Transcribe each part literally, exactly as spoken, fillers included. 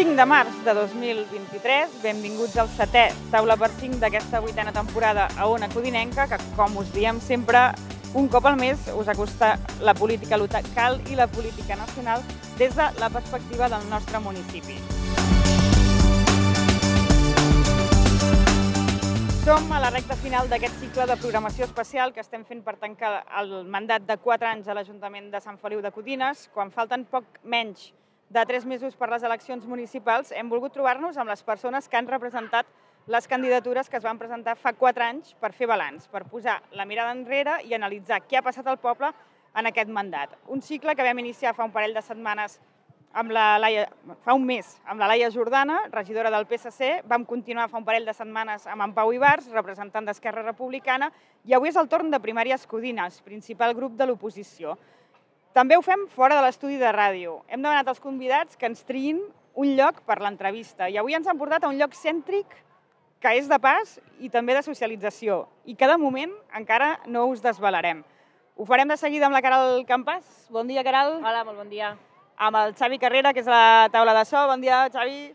cinc de març de dos mil vint-i-tres, benvinguts al setè Taula per cinc d'aquesta vuitena temporada a Ona Codinenca, que, com us diem sempre, un cop al mes us acosta la política local i la política nacional des de la perspectiva del nostre municipi. Som a la recta final d'aquest cicle de programació especial que estem fent per tancar el mandat de quatre anys a l'Ajuntament de Sant Feliu de Codines. Quan falten poc menys de tres mesos per les eleccions municipals, hem volgut trobar-nos amb les persones que han representat les candidatures que es van presentar fa quatre anys per fer balanç, per posar la mirada enrere i analitzar què ha passat al poble en aquest mandat. Un cicle que vam iniciar fa un parell de setmanes amb la Laia, fa un mes amb la Laia Jordana, regidora del P S C, vam continuar fa un parell de setmanes amb en Pau Ibars, representant d'Esquerra Republicana, i avui és el torn de Primàries Codines, principal grup de l'oposició. També ho fem fora de l'estudi de ràdio. Hem demanat als convidats que ens triïn un lloc per l'entrevista i avui ens han portat a un lloc cèntric que és de pas i també de socialització i que de moment encara no us desvelarem. Ho farem de seguida amb la Caral Campas. Bon dia, Caral. Hola, molt bon dia. Amb el Xavi Carrera, que és a la taula de so. Bon dia, Xavi.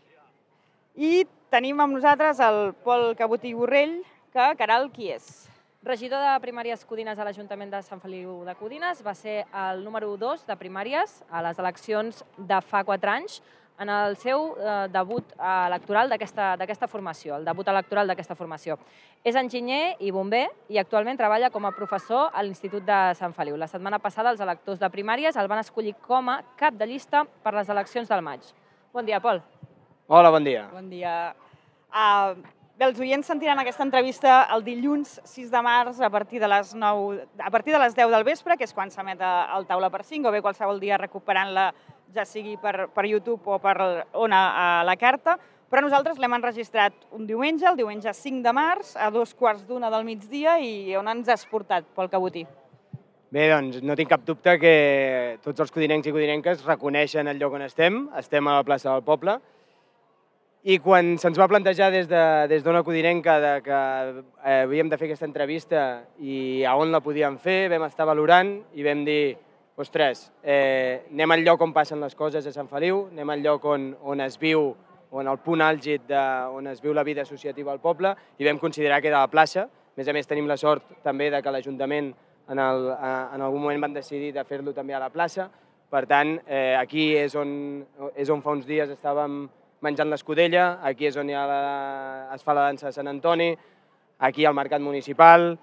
I tenim amb nosaltres el Pol Cabotí Borrell, que, Caral, qui és? Regidor de Primàries Codines a l'Ajuntament de Sant Feliu de Codines, va ser el número dos de primàries a les eleccions de fa quatre anys en el seu eh, debut electoral d'aquesta formació, el debut electoral d'aquesta formació. És enginyer i bomber i actualment treballa com a professor a l'Institut de Sant Feliu. La setmana passada els electors de primàries el van escollir com a cap de llista per les eleccions del maig. Bon dia, Pol. Hola, bon dia. Bon dia. Uh, Bé, els oients sentiran aquesta entrevista el dilluns sis de març a partir de les nou, a partir de les deu del vespre, que és quan s'emet el Taula per cinc, o bé qualsevol dia recuperant-la, ja sigui per, per YouTube o per Ona a la carta. Però nosaltres l'hem enregistrat un diumenge, el diumenge cinc de març, a dos quarts d'una del migdia, i on ens has portat, Pol Cabotí? Bé, doncs no tinc cap dubte que tots els codinencs i codinenques reconeixen el lloc on estem. Estem a la plaça del Poble. I quan se'ns va plantejar des d'Ona Codinenca que havíem de fer aquesta entrevista i a on la podíem fer, vam estar valorant i vam dir, ostres, anem al lloc on passen les coses a Sant Feliu, anem al lloc on es viu, on el punt àlgid on es viu la vida associativa al poble, i vam considerar que era la plaça. A més a més, tenim la sort també que l'Ajuntament en algun moment van decidir de fer-lo també a la plaça. Per tant, aquí és on fa uns dies estàvem menjant l'escudella, aquí és on es fa la dansa de Sant Antoni, aquí al Mercat Municipal,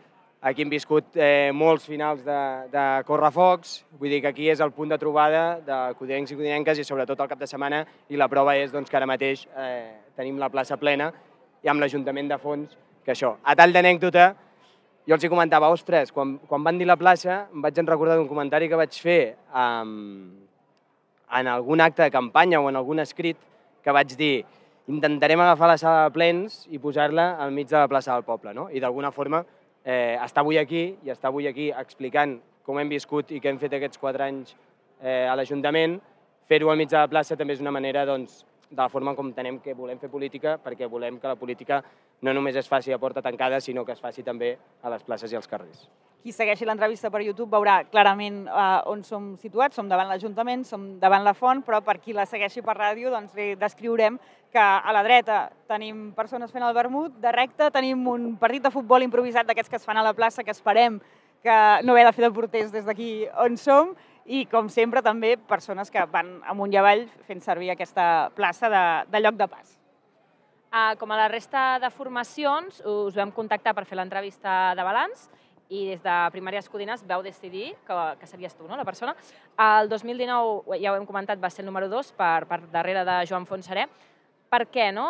aquí hem viscut molts finals de correfocs, vull dir que aquí és el punt de trobada de codinencs i codinenques i sobretot el cap de setmana, i la prova és que ara mateix tenim la plaça plena i amb l'Ajuntament de fons, que això. A tall d'anècdota, jo els hi comentava, ostres, quan van dir la plaça em vaig recordar d'un comentari que vaig fer en algun acte de campanya o en algun escrit, que vaig dir, intentarem agafar la sala de plens i posar-la al mig de la plaça del poble, no? I d'alguna forma estar avui aquí i estar avui aquí explicant com hem viscut i què hem fet aquests quatre anys a l'Ajuntament, fer-ho al mig de la plaça també és una manera, doncs, de la forma com entenem que volem fer política, perquè volem que la política no només es faci a porta tancada, sinó que es faci també a les places i als carrers. Qui segueixi l'entrevista per YouTube veurà clarament on som situats, som davant l'Ajuntament, som davant la font, però per qui la segueixi per ràdio doncs descriurem que a la dreta tenim persones fent el vermut, de recte tenim un partit de futbol improvisat d'aquests que es fan a la plaça, que esperem que no haver de fer de porters des d'aquí on som, i com sempre també persones que van amunt i avall fent servir aquesta plaça de lloc de pas. Com a la resta de formacions, us vam contactar per fer l'entrevista de balanç i des de Primàries Codines vau decidir que series tu, la persona. El dos mil dinou, ja ho hem comentat, va ser el número dos per darrere de Joan Fontserè. Per què, no?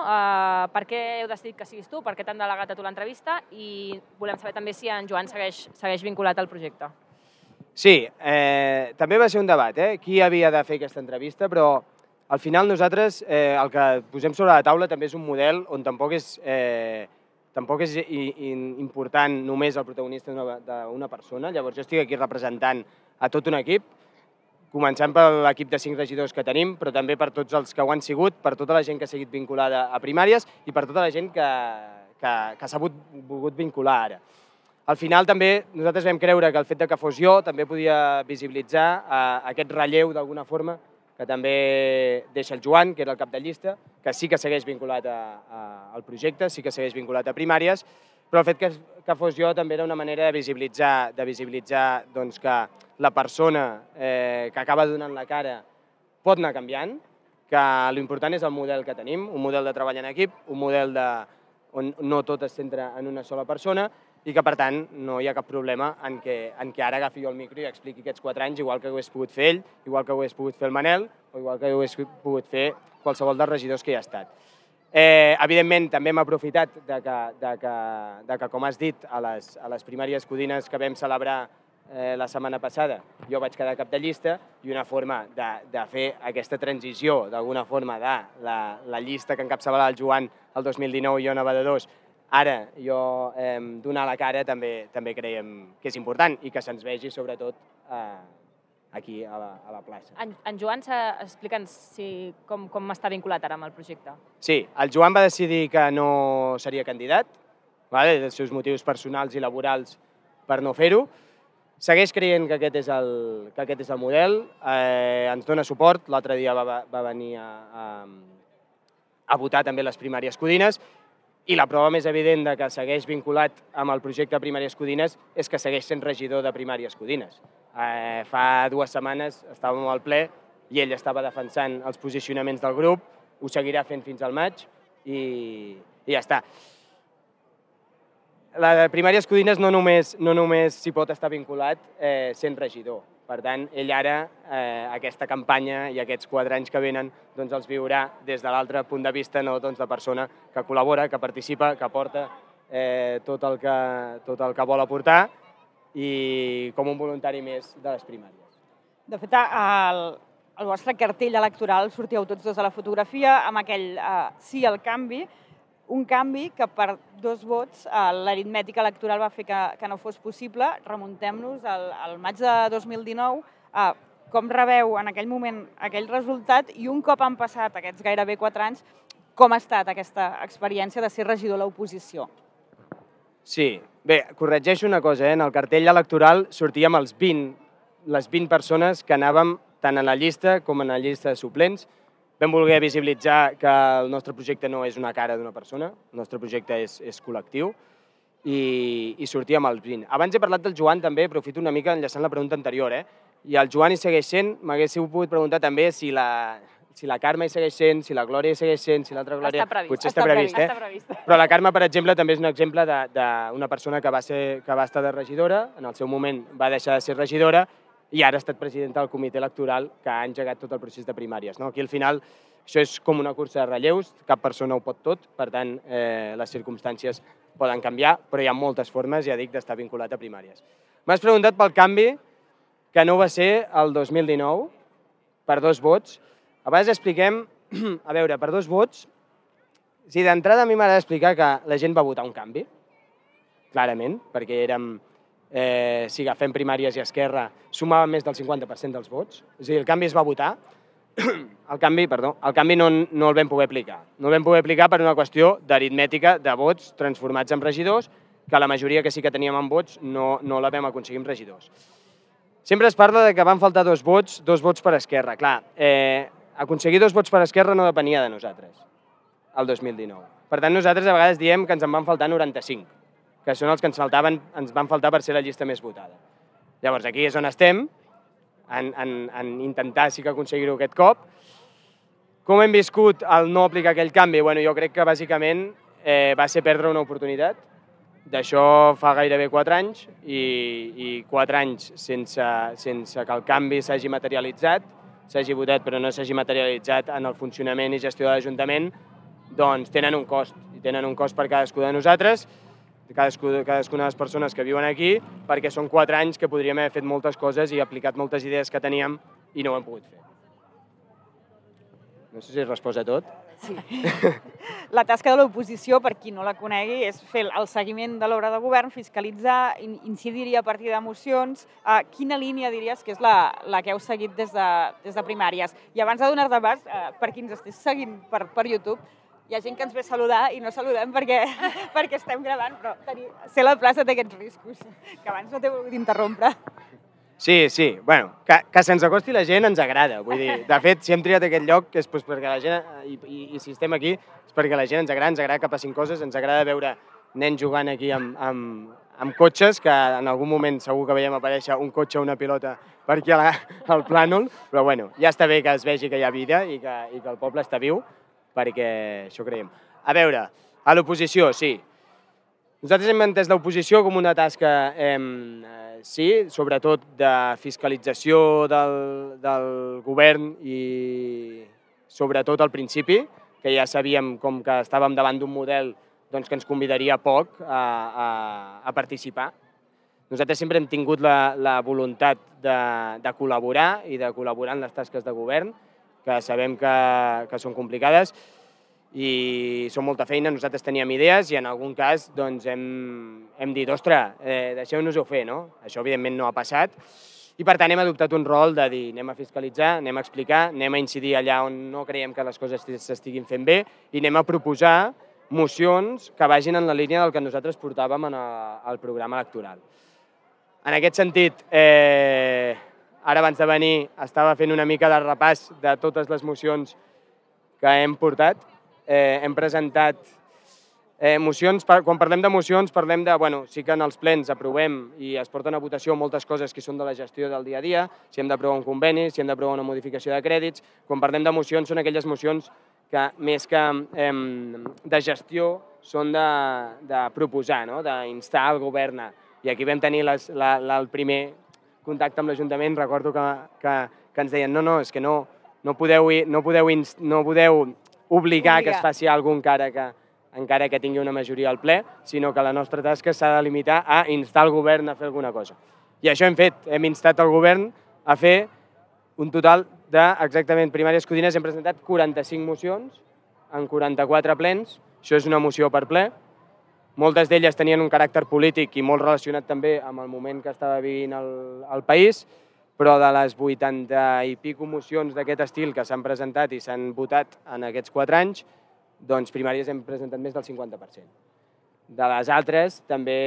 Per què heu decidit que siguis tu? Per què t'han delegat a tu l'entrevista? I volem saber també si en Joan segueix vinculat al projecte. Sí, també va ser un debat, qui havia de fer aquesta entrevista, però al final nosaltres el que posem sobre la taula també és un model on tampoc és tampoc és important només el protagonista d'una persona. Llavors jo estic aquí representant a tot un equip, començant per l'equip de cinc regidors que tenim, però també per tots els que ho han sigut, per tota la gent que ha seguit vinculada a primàries i per tota la gent que s'ha volgut vincular ara. Al final també nosaltres vam creure que el fet que fos jo també podia visibilitzar aquest relleu d'alguna forma que també deixa el Joan, que era el cap de llista, que sí que segueix vinculat a, a, al projecte, sí que segueix vinculat a primàries, però el fet que, que fos jo també era una manera de visibilitzar, de visibilitzar doncs, que la persona eh, que acaba donant la cara pot anar canviant, que l'important és el model que tenim, un model de treball en equip, un model de, on no tot es centra en una sola persona, i que, per tant, no hi ha cap problema en què, en què ara agafi jo el micro i expliqui aquests quatre anys, igual que ho hagués pogut fer ell, igual que ho hagués pogut fer el Manel, o igual que ho hagués pogut fer qualsevol dels regidors que hi ha estat. Eh, evidentment, també hem aprofitat de que, de que, de que, com has dit, a les, a les primàries codines que vam celebrar eh, la setmana passada, jo vaig quedar cap de llista, i una forma de, de fer aquesta transició, d'alguna forma, de la, la llista que encapçalava el Joan el dos mil dinou i jo anava de dos, ara jo eh, donar la cara també també creiem que és important i que se'ns vegi sobretot eh, aquí a la, a la plaça. En, en Joan, explica'ns si, com, com està vinculat ara amb el projecte. Sí, el Joan va decidir que no seria candidat, vale, dels seus motius personals i laborals per no fer-ho. Segueix creient que aquest és el, que aquest és el model, eh, ens dona suport, l'altre dia va, va venir a, a, a votar també les primàries codines, i la prova més evident de que segueix vinculat amb el projecte Primàries Codines és que segueix sent regidor de Primàries Codines. Eh, fa dues setmanes estàvem al ple i ell estava defensant els posicionaments del grup, ho seguirà fent fins al maig i, i ja està. La de Primàries Codines no només, no només s'hi pot estar vinculat eh, sent regidor. Per tant, ell ara eh, aquesta campanya i aquests quatre anys que venen doncs els viurà des de l'altre punt de vista, no doncs de persona que col·labora, que participa, que aporta eh, tot, el que, tot el que vol aportar i com un voluntari més de les primàries. De fet, el, el vostre cartell electoral sortíeu tots dos a la fotografia amb aquell eh, sí al canvi, un canvi que per dos vots eh, l'aritmètica electoral va fer que, que no fos possible. Remuntem-nos al, al maig de dos mil dinou. Eh, com rebeu en aquell moment aquell resultat i un cop han passat aquests gairebé quatre anys, com ha estat aquesta experiència de ser regidor a l'oposició? Sí, bé, corregeixo una cosa, eh? En el cartell electoral sortíem els vint, les vint persones que anàvem tant en la llista com en la llista de suplents. Vam voler visibilitzar que el nostre projecte no és una cara d'una persona, el nostre projecte és, és col·lectiu i, i sortíem els vint. Abans he parlat del Joan també, aprofito una mica enllaçant la pregunta anterior, eh? I el Joan hi segueix sent, m'haguéssiu pogut preguntar també si la, si la Carme hi segueix sent, si la Glòria hi segueix sent, si l'altra Glòria... Està previst. Potser està, està previst, previst, eh? està previst. Però la Carme, per exemple, també és un exemple d'una persona que va, ser, que va estar de regidora, en el seu moment va deixar de ser regidora, i ara ha estat presidenta del comitè electoral que ha engegat tot el procés de primàries. No? Aquí, al final, això és com una cursa de relleus, cap persona ho pot tot, per tant, eh, les circumstàncies poden canviar, però hi ha moltes formes, ja dic, d'estar vinculat a primàries. M'has preguntat pel canvi, que no va ser el dos mil dinou, per dos vots. Abans expliquem, a veure, per dos vots, si d'entrada a mi m'agrada explicar que la gent va votar un canvi, clarament, perquè érem... Eh, si agafem primàries i Esquerra, sumaven més del cinquanta per cent dels vots. És a dir, el canvi es va votar. El canvi, perdó, el canvi no, no el vam poder aplicar. No el vam poder aplicar per una qüestió d'aritmètica de vots transformats en regidors, que la majoria que sí que teníem en vots no, no la vam aconseguir en regidors. Sempre es parla de que van faltar dos vots, dos vots per Esquerra. Clar, eh, aconseguir dos vots per Esquerra no depenia de nosaltres, el dos mil dinou. Per tant, nosaltres a vegades diem que ens en van faltar noranta-cinc, que són els que ens, faltaven, ens van faltar per ser la llista més votada. Llavors, aquí és on estem, en, en, en intentar sí que aconseguir-ho aquest cop. Com hem viscut el no aplicar aquell canvi? Bueno, jo crec que bàsicament eh, va ser perdre una oportunitat. D'això fa gairebé quatre anys i, i quatre anys sense, sense que el canvi s'hagi materialitzat, s'hagi votat però no s'hagi materialitzat en el funcionament i gestió de l'Ajuntament, doncs tenen un cost. I tenen un cost per cadascú de nosaltres, cadascuna de les persones que viuen aquí, perquè són quatre anys que podríem haver fet moltes coses i aplicat moltes idees que teníem i no ho hem pogut fer. No sé si es resposa a tot. Sí. La tasca de l'oposició, per qui no la conegui, és fer el seguiment de l'obra de govern, fiscalitzar, incidir-hi a partir de mocions. Uh, quina línia diries que és la, la que heu seguit des de, des de primàries? I abans de donar-te pas, uh, per qui ens estigués seguint per, per YouTube, hi ha gent que ens ve a saludar i no saludem perquè, perquè estem gravant, però tenir, ser a la plaça té aquests riscos, que abans no t'he volgut interrompre. Sí, sí. Bueno, que, que se'ns acosti la gent ens agrada. Vull dir, de fet, si hem triat aquest lloc és doncs, perquè la gent, i, i, i si estem aquí, és perquè la gent ens agrada, ens agrada que passin coses, ens agrada veure nens jugant aquí amb, amb, amb cotxes, que en algun moment segur que veiem aparèixer un cotxe o una pilota per aquí a la, al plànol, però bueno, ja està bé que es vegi que hi ha vida i que, i que el poble està viu, perquè això creiem. A veure, a l'oposició, sí. Nosaltres hem entès l'oposició com una tasca, eh, sí, sobretot de fiscalització del, del govern i sobretot al principi, que ja sabíem com que estàvem davant d'un model doncs, que ens convidaria poc a, a, a participar. Nosaltres sempre hem tingut la, la voluntat de, de col·laborar i de col·laborar en les tasques de govern, que sabem que, que són complicades, i són molta feina, nosaltres teníem idees i en algun cas doncs, hem, hem dit, ostres, eh, deixeu-nos-ho fer, no? Això evidentment no ha passat i per tant hem adoptat un rol de dir anem a fiscalitzar, anem a explicar, anem a incidir allà on no creiem que les coses s'estiguin fent bé i anem a proposar mocions que vagin en la línia del que nosaltres portàvem en el, el programa electoral. En aquest sentit, eh, ara abans de venir estava fent una mica de repàs de totes les mocions que hem portat. Eh, hem presentat eh, mocions, quan parlem de mocions parlem de, bueno, sí que en els plens aprovem i es porten a votació moltes coses que són de la gestió del dia a dia, si hem d'aprovar un conveni, si hem d'aprovar una modificació de crèdits, quan parlem de mocions són aquelles mocions que més que eh, de gestió són de, de proposar, no? D'instar el govern. I aquí vam tenir les, la, la, el primer contacte amb l'Ajuntament, recordo que, que, que ens deien no, no, és que no, no podeu, no podeu, no podeu obligar que es faci alguna cosa encara que, encara que tingui una majoria al ple, sinó que la nostra tasca s'ha de limitar a instar el govern a fer alguna cosa. I això hem fet, hem instat el govern a fer un total de, exactament, primàries codines, hem presentat quaranta-cinc mocions en quaranta-quatre plens, això és una moció per ple. Moltes d'elles tenien un caràcter polític i molt relacionat també amb el moment que estava vivint el, el país, però de les vuitanta i pico mocions d'aquest estil que s'han presentat i s'han votat en aquests quatre anys, doncs primàries hem presentat més del cinquanta per cent. De les altres també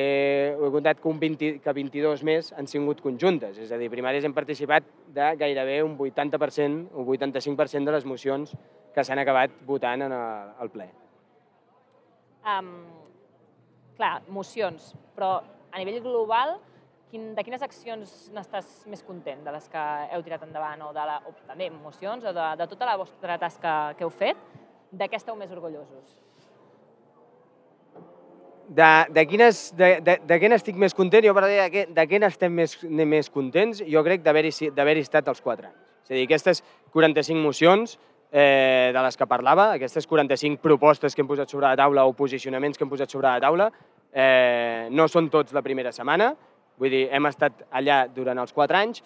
he comptat que, un vint, que vint-i-dos més han sigut conjuntes, és a dir, primàries hem participat de gairebé un vuitanta per cent, un vuitanta-cinc per cent de les mocions que s'han acabat votant en el, el ple. Um, clar, mocions, però a nivell global, de quines accions n'estàs més content? De les que heu tirat endavant o, de la, o també mocions o de, de tota la vostra tasca que heu fet? De què esteu més orgullosos? De, de, quines, de, de, de què n'estic més content? Jo per dir de què, de què n'estem més, més contents, jo crec d'haver-hi estat els quatre anys. És a dir, aquestes quaranta-cinc mocions eh, de les que parlava, aquestes quaranta-cinc propostes que hem posat sobre la taula o posicionaments que hem posat sobre la taula, eh, no són tots la primera setmana. Vull dir, hem estat allà durant els quatre anys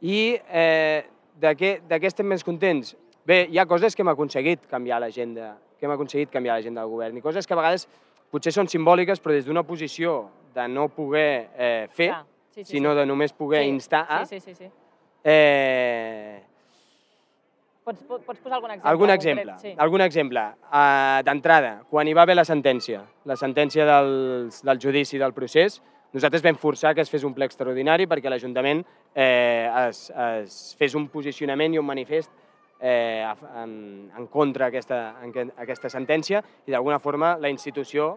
i eh, de, què, de què estem més contents? Bé, hi ha coses que hem aconseguit canviar l'agenda, que hem aconseguit canviar l'agenda del govern i coses que a vegades potser són simbòliques, però des d'una posició de no poder eh, fer, ah, sí, sí, sinó sí. de només poder sí, instar a... Sí, sí, sí. sí. Eh... Pots, pots posar algun exemple? Algun exemple, sí. algun exemple. Uh, D'entrada, quan hi va haver la sentència, la sentència del, del judici del procés, nosaltres vam forçar que es fes un ple extraordinari perquè l'Ajuntament eh, es, es fes un posicionament i un manifest eh, en, en contra d'aquesta aquesta sentència i d'alguna forma la institució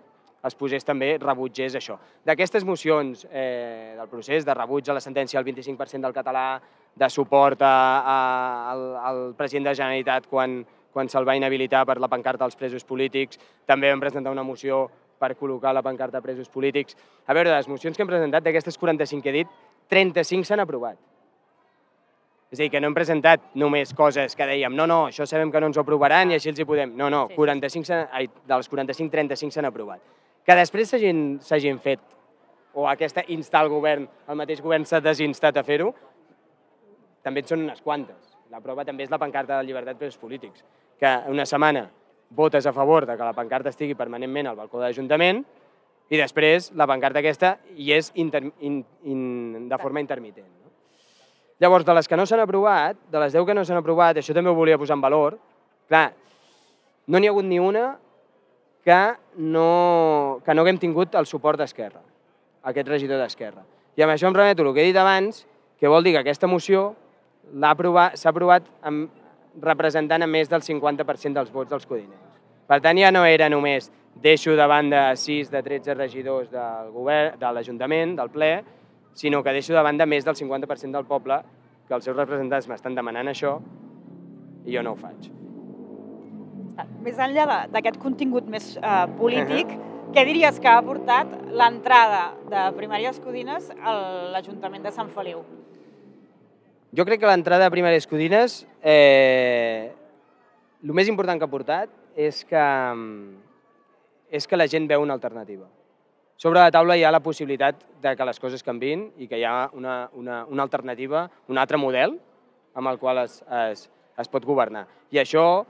es posés també, rebutgés això. D'aquestes mocions eh, del procés, de rebuig a la sentència al vint-i-cinc per cent del català, de suport a, a, al, al president de la Generalitat quan, quan se'l va inhabilitar per la pancarta dels presos polítics, també vam presentar una moció per col·locar la pancarta de presos polítics. A veure, de les mocions que hem presentat, d'aquestes quaranta-cinc que he dit, trenta-cinc s'han aprovat. És a dir, que no hem presentat només coses que dèiem no, no, això sabem que no ens ho aprovaran i així els hi podem. No, no, quaranta-cinc, ai, dels quaranta-cinc, trenta-cinc s'han aprovat. Que després s'hagin fet, o aquesta instar al govern, el mateix govern s'ha desinstat a fer-ho, també en són unes quantes. La prova també és la pancarta de llibertat presos polítics, que una setmana votes a favor de que la pancarta estigui permanentment al balcó de l'Ajuntament i després la pancarta aquesta hi és inter, in, in, de forma intermitent. No? Llavors, de les que no s'han aprovat, de les deu que no s'han aprovat, això també ho volia posar en valor, clar, no n'hi ha hagut ni una que no, que no haguem tingut el suport d'Esquerra, aquest regidor d'Esquerra. I amb això em remeto el que he dit abans, que vol dir que aquesta moció s'ha aprovat amb, representant a més del cinquanta per cent dels vots dels codinencs. Per tant, ja no era només deixo de banda sis de tretze regidors del govern, de l'Ajuntament, del ple, sinó que deixo de banda més del cinquanta per cent del poble, que els seus representants m'estan demanant això, i jo no ho faig. Més enllà d'aquest contingut més eh, polític, què diries que ha aportat l'entrada de Primàries Codines a l'Ajuntament de Sant Feliu? Jo crec que l'entrada de Primàries Codines, eh, el més important que ha portat és que, és que la gent veu una alternativa. Sobre la taula hi ha la possibilitat de que les coses canviïn i que hi ha una, una, una alternativa, un altre model amb el qual es, es, es pot governar. I això,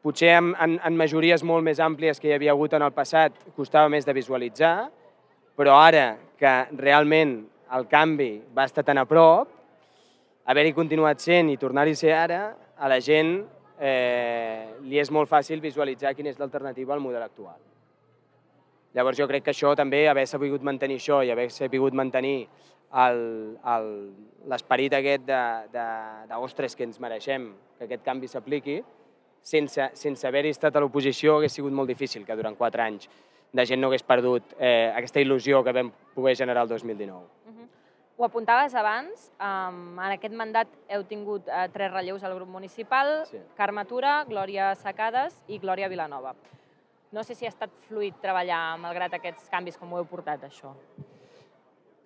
potser en, en, en majories molt més àmplies que hi havia hagut en el passat, costava més de visualitzar, però ara que realment el canvi va estar tan a prop, haver-hi continuat sent i tornar-hi a ser ara, a la gent eh, li és molt fàcil visualitzar quina és l'alternativa al model actual. Llavors jo crec que això també, haver sabut mantenir això i haver sabut mantenir l'esperit aquest de, de, de ostres, que ens mereixem que aquest canvi s'apliqui, sense, sense haver-hi estat a l'oposició hagués sigut molt difícil que durant quatre anys de gent no hagués perdut eh, aquesta il·lusió que vam poder generar el dos mil dinou. Uh-huh. Ho apuntaves abans, um, en aquest mandat heu tingut uh, tres relleus al grup municipal, sí. Carme Tura, Glòria Sacades i Glòria Vilanova. No sé si ha estat fluid treballar malgrat aquests canvis, com ho heu portat, això.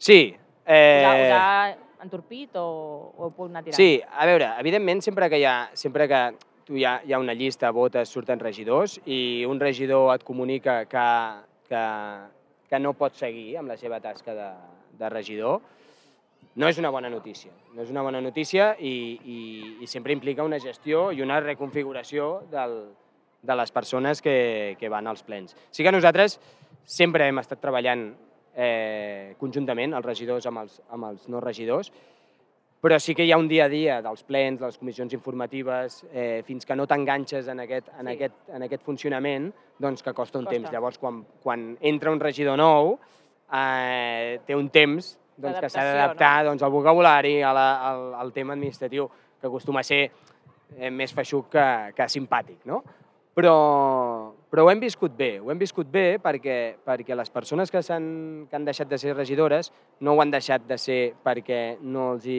Sí. Eh... Us, ha, us ha entorpit o, o heu pogut anar tirant? Sí, a veure, evidentment, sempre que hi ha, sempre que tu hi ha, hi ha una llista, votes, surten regidors i un regidor et comunica que, que, que no pot seguir amb la seva tasca de, de regidor, no és una bona notícia. No és una bona notícia i, i, i sempre implica una gestió i una reconfiguració del, de les persones que, que van als plens. Sí que nosaltres sempre hem estat treballant eh, conjuntament, els regidors amb els, amb els no regidors, però sí que hi ha un dia a dia dels plens, de les comissions informatives, eh, fins que no t'enganxes en, aquest, en, sí. aquest, en aquest funcionament, doncs que costa un costa. temps. Llavors, quan, quan entra un regidor nou, eh, té un temps doncs, que s'ha d'adaptar no? doncs, al vocabulari, a la, al, al tema administratiu, que acostuma a ser eh, més feixuc que, que simpàtic, no? Però, però ho hem viscut bé, ho hem viscut bé perquè, perquè les persones que, han, que han deixat de ser regidores no ho han deixat de ser perquè no, els hi,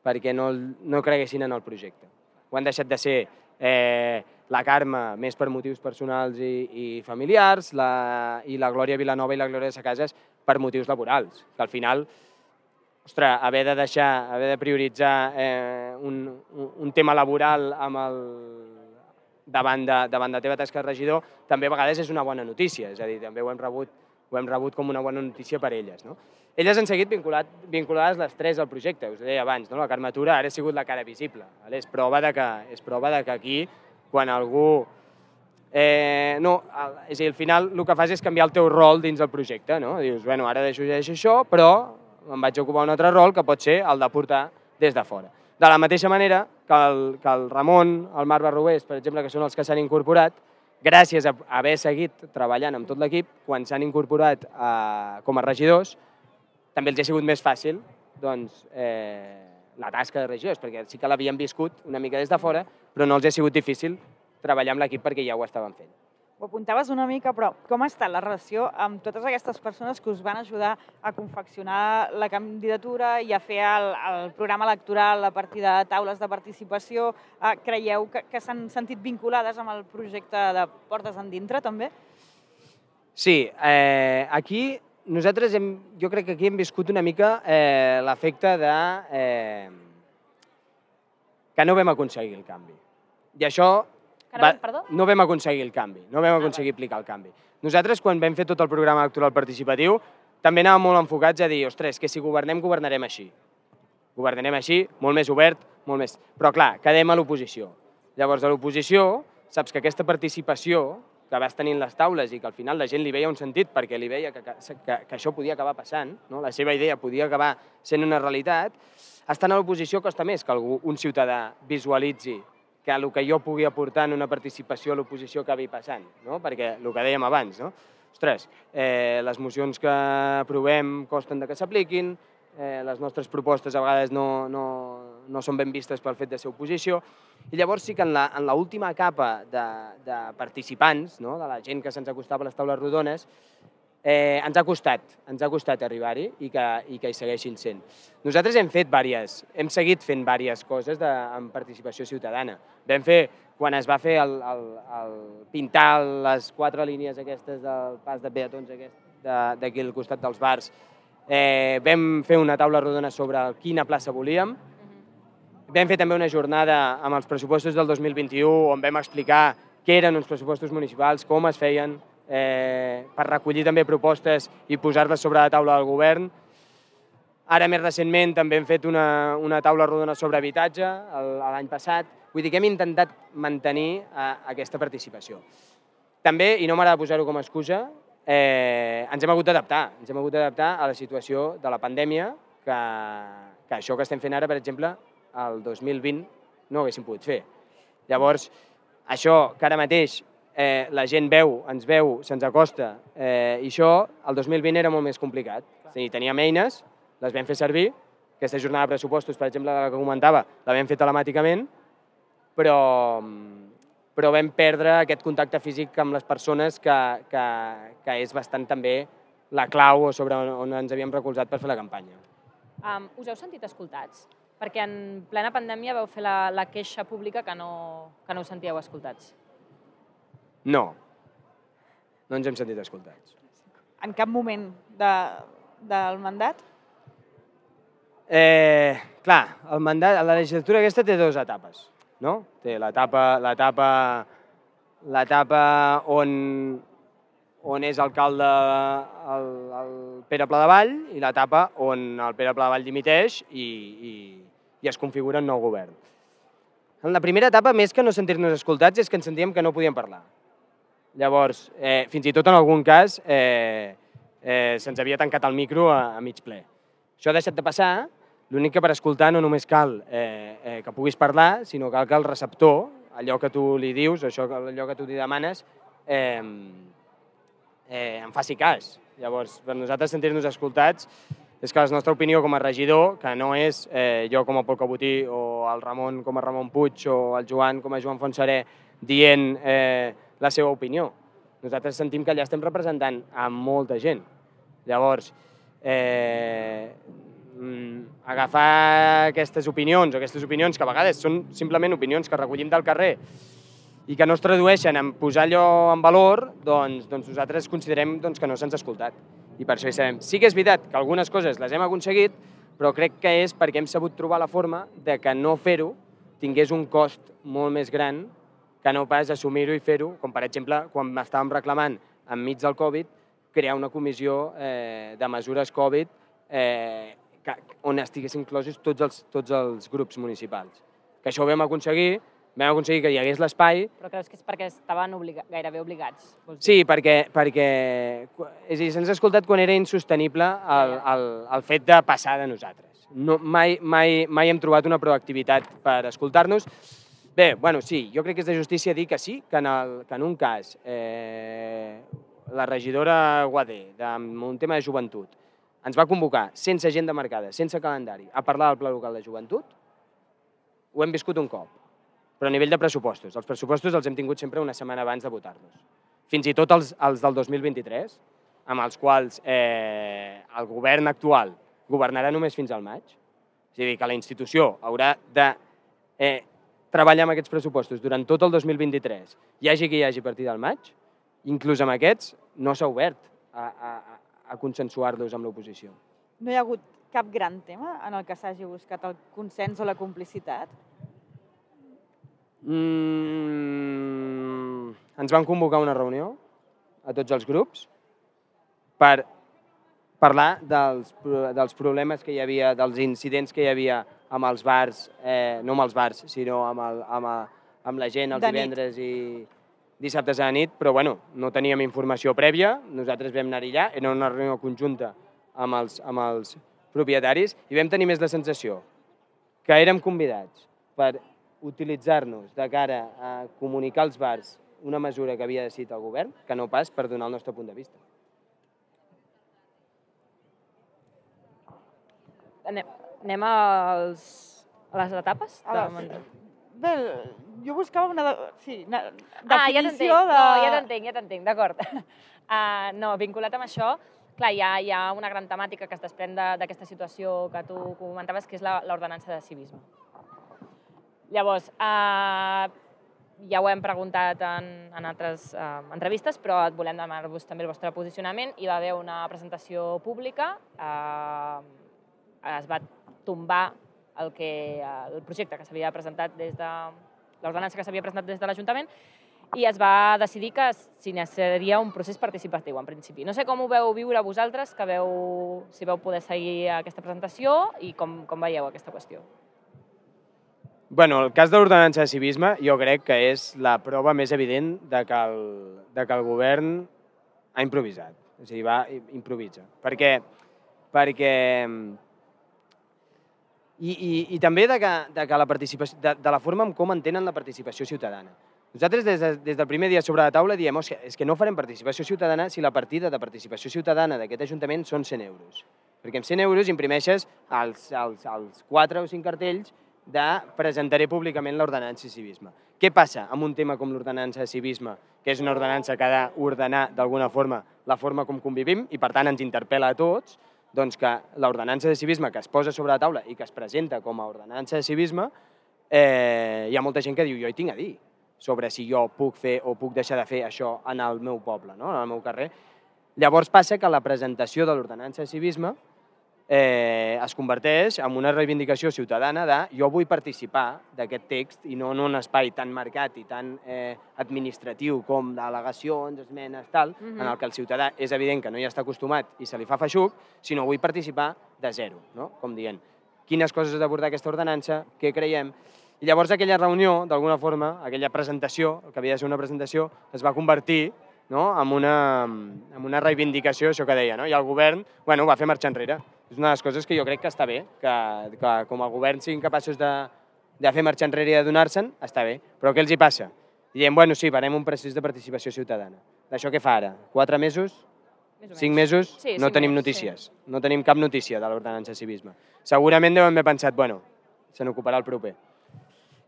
perquè no, no creguessin en el projecte. Ho han deixat de ser eh, la Carme més per motius personals i, i familiars la, i la Glòria Vilanova i la Glòria Sacades per motius laborals, que al final ostres, haver de deixar, haver de prioritzar eh, un, un tema laboral amb el davant de, davant de la teva tasca de regidor, també a vegades és una bona notícia, és a dir, també ho hem rebut, ho hem rebut com una bona notícia per elles. No? Elles han seguit vinculat, vinculades les tres al projecte, us ho deia abans, no? La Carme Tura ara ha sigut la cara visible, vale? és, prova de que, és prova de que aquí, quan algú... Eh, no, és a dir, al final el que fas és canviar el teu rol dins del projecte, no? Dius, bueno, ara deixo, deixo això, però em vaig ocupar un altre rol que pot ser el de portar des de fora. De la mateixa manera que el, que el Ramon, el Marc Barrobés, per exemple, que són els que s'han incorporat, gràcies a haver seguit treballant amb tot l'equip, quan s'han incorporat a, com a regidors, també els ha sigut més fàcil doncs, eh, la tasca de regidors, perquè sí que l'havien viscut una mica des de fora, però no els ha sigut difícil treballar amb l'equip perquè ja ho estaven fent. Ho apuntaves una mica, però com ha estat la relació amb totes aquestes persones que us van ajudar a confeccionar la candidatura i a fer el, el programa electoral a partir de taules de participació? Eh, creieu que, que s'han sentit vinculades amb el projecte de Portes Endintre, també? Sí, eh, aquí nosaltres hem, jo crec que aquí hem viscut una mica eh, l'efecte de eh, que no vam aconseguir el canvi. I això... Va, no vam aconseguir el canvi, no vam aconseguir aplicar el canvi. Nosaltres, quan vam fer tot el programa electoral participatiu, també anàvem molt enfocats a dir, ostres, que si governem, governarem així. Governarem així, molt més obert, molt més... Però clar, quedem a l'oposició. Llavors, a l'oposició, saps que aquesta participació que vas tenint les taules i que al final la gent li veia un sentit perquè li veia que, que, que, que això podia acabar passant, no? La seva idea podia acabar sent una realitat, estant a l'oposició costa més que algú, un ciutadà visualitzi que el que jo pugui aportar en una participació a l'oposició acabi passant, no? Perquè el que dèiem abans, no? Ostres, eh, les mocions que aprovem costen de que s'apliquin, eh, les nostres propostes a vegades no, no, no són ben vistes pel fet de ser oposició. I llavors sí que en l'última capa de, de participants, no? De la gent que se'ns acostava a les taules rodones, eh, ens ha costat, ens ha costat arribar-hi i, que, i que hi segueixin sent. Nosaltres hem fet diverses, hem seguit fent diverses coses de, amb participació ciutadana. Vam fer, quan es va fer el, el, el pintar les quatre línies aquestes del pas de peatons d'aquí al costat dels bars, eh, vam fer una taula rodona sobre quina plaça volíem. Vam fer també una jornada amb els pressupostos del dos mil vint-i-u on vam explicar què eren uns pressupostos municipals, com es feien, eh, per recollir també propostes i posar-les sobre la taula del govern. Ara, més recentment, també hem fet una, una taula rodona sobre habitatge l'any passat. Vull dir que hem intentat mantenir eh, aquesta participació. També, i no m'agrada posar-ho com a excusa, eh, ens hem hagut d'adaptar. Ens hem hagut d'adaptar a la situació de la pandèmia, que, que això que estem fent ara, per exemple, el dos mil vint no ho haguéssim pogut fer. Llavors, això que ara mateix eh, la gent veu, ens veu, se'ns acosta, eh, i això el dos mil vint era molt més complicat. És a dir, teníem eines, les vam fer servir, aquesta jornada de pressupostos, per exemple, de la que comentava, la vam fer telemàticament, però, però vam perdre aquest contacte físic amb les persones que, que, que és bastant també la clau o sobre on, on ens havíem recolzat per fer la campanya. Um, us heu sentit escoltats? Perquè en plena pandèmia vau fer la, la queixa pública que no, que no us sentíeu escoltats. No, no ens hem sentit escoltats. En cap moment de, del mandat? Eh, clar, el mandat, la legislatura aquesta té dues etapes, no? Té l'etapa l'etapa l'etapa on, on és alcalde el, el Pere Pladevall i l'etapa on el Pere Pladevall dimiteix i, i, i es configura un nou govern. En la primera etapa, més que no sentir-nos escoltats, és que ens sentíem que no podíem parlar. Llavors, eh, fins i tot en algun cas, eh, eh, se'ns havia tancat el micro a, a mig ple. Això ha deixat de passar, l'únic que per escoltar no només cal eh, eh, que puguis parlar, sinó cal que el receptor, allò que tu li dius, això, allò que tu li demanes, eh, eh, en faci cas. Llavors, per nosaltres sentir-nos escoltats és que la nostra opinió com a regidor, que no és eh, jo com a Pol Cabotí o el Ramon com a Ramon Puig o el Joan com a Joan Fontserè dient eh, la seva opinió. Nosaltres sentim que allà estem representant a molta gent. Llavors, eh, agafar aquestes opinions, o aquestes opinions que a vegades són simplement opinions que recollim del carrer i que no es tradueixen en posar allò en valor, doncs, doncs nosaltres considerem doncs, que no se'ns ha escoltat. I per això hi sabem. Sí que és veritat que algunes coses les hem aconseguit, però crec que és perquè hem sabut trobar la forma de que no fer-ho tingués un cost molt més gran que no pas assumir-ho i fer-ho, com per exemple quan estàvem reclamant enmig del Covid crear una comissió eh, de mesures Covid eh, que, on estiguessin inclosos tots els, tots els grups municipals. Que això ho vam aconseguir, vam aconseguir que hi hagués l'espai. Però creus que és perquè estaven obliga gairebé obligats? Sí, perquè, perquè és a dir, se'ns ha escoltat quan era insostenible el, el, el fet de passar de nosaltres. No, mai, mai, mai hem trobat una proactivitat per escoltar-nos. Bé, bueno, sí, jo crec que és de justícia dir que sí, que en, el, que en un cas eh, la regidora Guadé, amb un tema de joventut, ens va convocar sense agenda marcada, sense calendari, a parlar del Pla Local de Joventut, ho hem viscut un cop. Però a nivell de pressupostos. Els pressupostos els hem tingut sempre una setmana abans de votar-los. Fins i tot els, els del dos mil vint-i-tres, amb els quals eh, el govern actual governarà només fins al maig. És a dir, que la institució haurà de eh, treballar amb aquests pressupostos durant tot el dos mil vint-i-tres, hi hagi qui hi hagi a partir del maig, inclús amb aquests no s'ha obert a, a, a consensuar-los amb l'oposició. No hi ha hagut cap gran tema en el que s'hagi buscat el consens o la complicitat? Mm, ens van convocar una reunió a tots els grups per parlar dels, dels problemes que hi havia, dels incidents que hi havia amb els bars, eh, no amb els bars, sinó amb, el, amb, a, amb la gent els divendres i dissabtes a la nit, però bueno, no teníem informació prèvia, nosaltres vam anar allà, era una reunió conjunta amb els, amb els propietaris i vam tenir més la sensació que érem convidats per utilitzar-nos de cara a comunicar als bars una mesura que havia decidit el govern, que no pas per donar el nostre punt de vista. Anem als, a les etapes? A les... Bé, jo buscava una... De... Sí, una definició ah, ja de... No, ja t'entenc, ja t'entenc, d'acord. Uh, no, vinculat amb això, clar, hi ha, hi ha una gran temàtica que es desprèn d'aquesta situació que tu comentaves, que és l'ordenança de civisme. Llavors, uh, ja ho hem preguntat en, en altres uh, entrevistes, però et volem demanar-vos també el vostre posicionament. Hi va haver una presentació pública, uh, es va tombar el, que, el projecte que s'havia presentat des de l'ordenança que s'havia presentat des de l'Ajuntament i es va decidir que s'iniciaria un procés participatiu, en principi. No sé com ho veu viure vosaltres, que veu, si veu poder seguir aquesta presentació i com, com veieu aquesta qüestió. Bueno, el cas de l'ordenança de civisme jo crec que és la prova més evident de que el, de que el govern ha improvisat. És a dir, va improvisa. Perquè... perquè I, i, i també de, que, de, que la participació, de, de la forma en com entenen la participació ciutadana. Nosaltres des, de, des del primer dia sobre la taula diem que és que no farem participació ciutadana si la partida de participació ciutadana d'aquest Ajuntament són cent euros. Perquè amb cent euros imprimeixes els, els, els quatre o cinc cartells de presentaré públicament l'ordenança de civisme. Què passa amb un tema com l'ordenança de civisme, que és una ordenança que ha d'ordenar d'alguna forma la forma com convivim i per tant ens interpel·la a tots, doncs que l'ordenança de civisme que es posa sobre la taula i que es presenta com a ordenança de civisme, eh, hi ha molta gent que diu jo hi tinc a dir sobre si jo puc fer o puc deixar de fer això en el meu poble, no? En el meu carrer. Llavors passa que la presentació de l'ordenança de civisme eh, es converteix en una reivindicació ciutadana de jo vull participar d'aquest text i no en un espai tan marcat i tan eh, administratiu com d'al·legacions, esmenes, tal, mm-hmm. en el que el ciutadà és evident que no hi està acostumat i se li fa feixuc, sinó vull participar de zero, no? Com dient, quines coses ha d'abordar aquesta ordenança, què creiem. I llavors aquella reunió, d'alguna forma, aquella presentació, el que havia de ser una presentació, es va convertir no? en, una, en una reivindicació, això que deia, no? I el govern bueno, va fer marxar enrere. És una de les coses que jo crec que està bé, que, que com a govern siguin capaços de, de fer marxar enrere i de donar-se'n, està bé. Però què els hi passa? Diem, bueno, sí, farem un procés de participació ciutadana. D'això què fa ara? Quatre mesos? Cinc mesos? Sí, no cinc tenim mesos, notícies. Sí. No tenim cap notícia de l'ordenança de civisme. Segurament deuen haver pensat, bueno, se n'ocuparà el proper.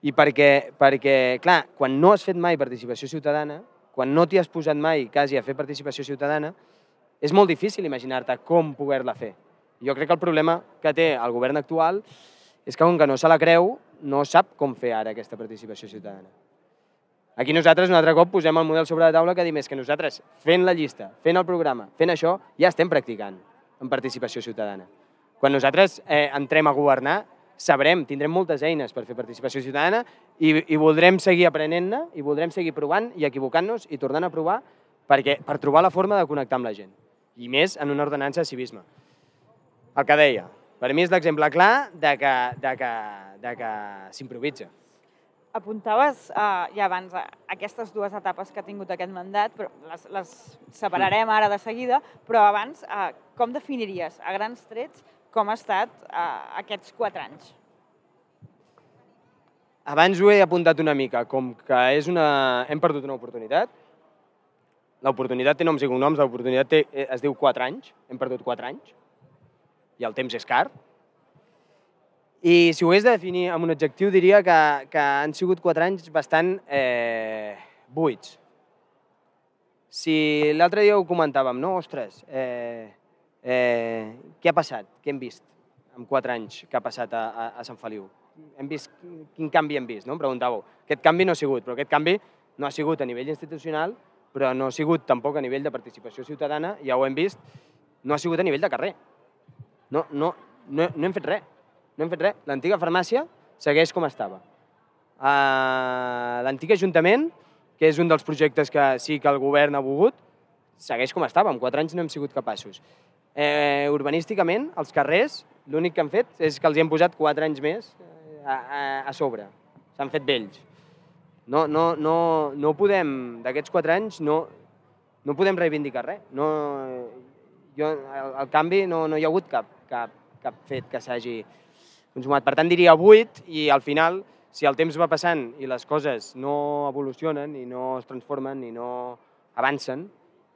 I perquè, perquè, clar, quan no has fet mai participació ciutadana, quan no t'hi has posat mai quasi a fer participació ciutadana, és molt difícil imaginar-te com poder-la fer. Jo crec que el problema que té el govern actual és que, com que no se la creu, no sap com fer ara aquesta participació ciutadana. Aquí nosaltres un altre cop posem el model sobre la taula que dim és que nosaltres, fent la llista, fent el programa, fent això, ja estem practicant en participació ciutadana. Quan nosaltres eh, entrem a governar, sabrem, tindrem moltes eines per fer participació ciutadana i, i voldrem seguir aprenent-ne i voldrem seguir provant i equivocant-nos i tornant a provar perquè, per trobar la forma de connectar amb la gent. I més en una ordenança de civisme. El que deia, per mi és l'exemple clar de que, de que, de que s'improvisa. Apuntaves uh, ja abans uh, aquestes dues etapes que ha tingut aquest mandat, però les, les separarem ara de seguida, però abans, uh, com definiries a grans trets com ha estat uh, aquests quatre anys? Abans ho he apuntat una mica, com que és una... hem perdut una oportunitat. L'oportunitat té noms i cognoms, l'oportunitat té... es diu quatre anys, hem perdut quatre anys. I el temps és car. I si ho hagués de definir amb un adjectiu, diria que, que han sigut quatre anys bastant eh, buits. Si l'altre dia ho comentàvem, no? Ostres, eh, eh, què ha passat? Què hem vist en quatre anys que ha passat a, a, a Sant Feliu? Hem vist, quin canvi hem vist? No? Em preguntàveu. Aquest canvi no ha sigut, però aquest canvi no ha sigut a nivell institucional, però no ha sigut tampoc a nivell de participació ciutadana, ja ho hem vist, no ha sigut a nivell de carrer. No, no, no, no hem fet res. No hem fet res. L'antiga farmàcia segueix com estava. Uh, L'antic Ajuntament, que és un dels projectes que sí que el govern ha volgut, segueix com estava. En quatre anys no hem sigut capaços. Eh, urbanísticament, els carrers, l'únic que han fet és que els hi hem posat quatre anys més a, a, a sobre. S'han fet vells. No, no, no, no podem, d'aquests quatre anys, no, no podem reivindicar res. No, jo, el, el canvi no, no hi ha hagut cap, cap, cap fet que s'hagi consumat. Per tant, diria vuit i al final, si el temps va passant i les coses no evolucionen i no es transformen i no avancen,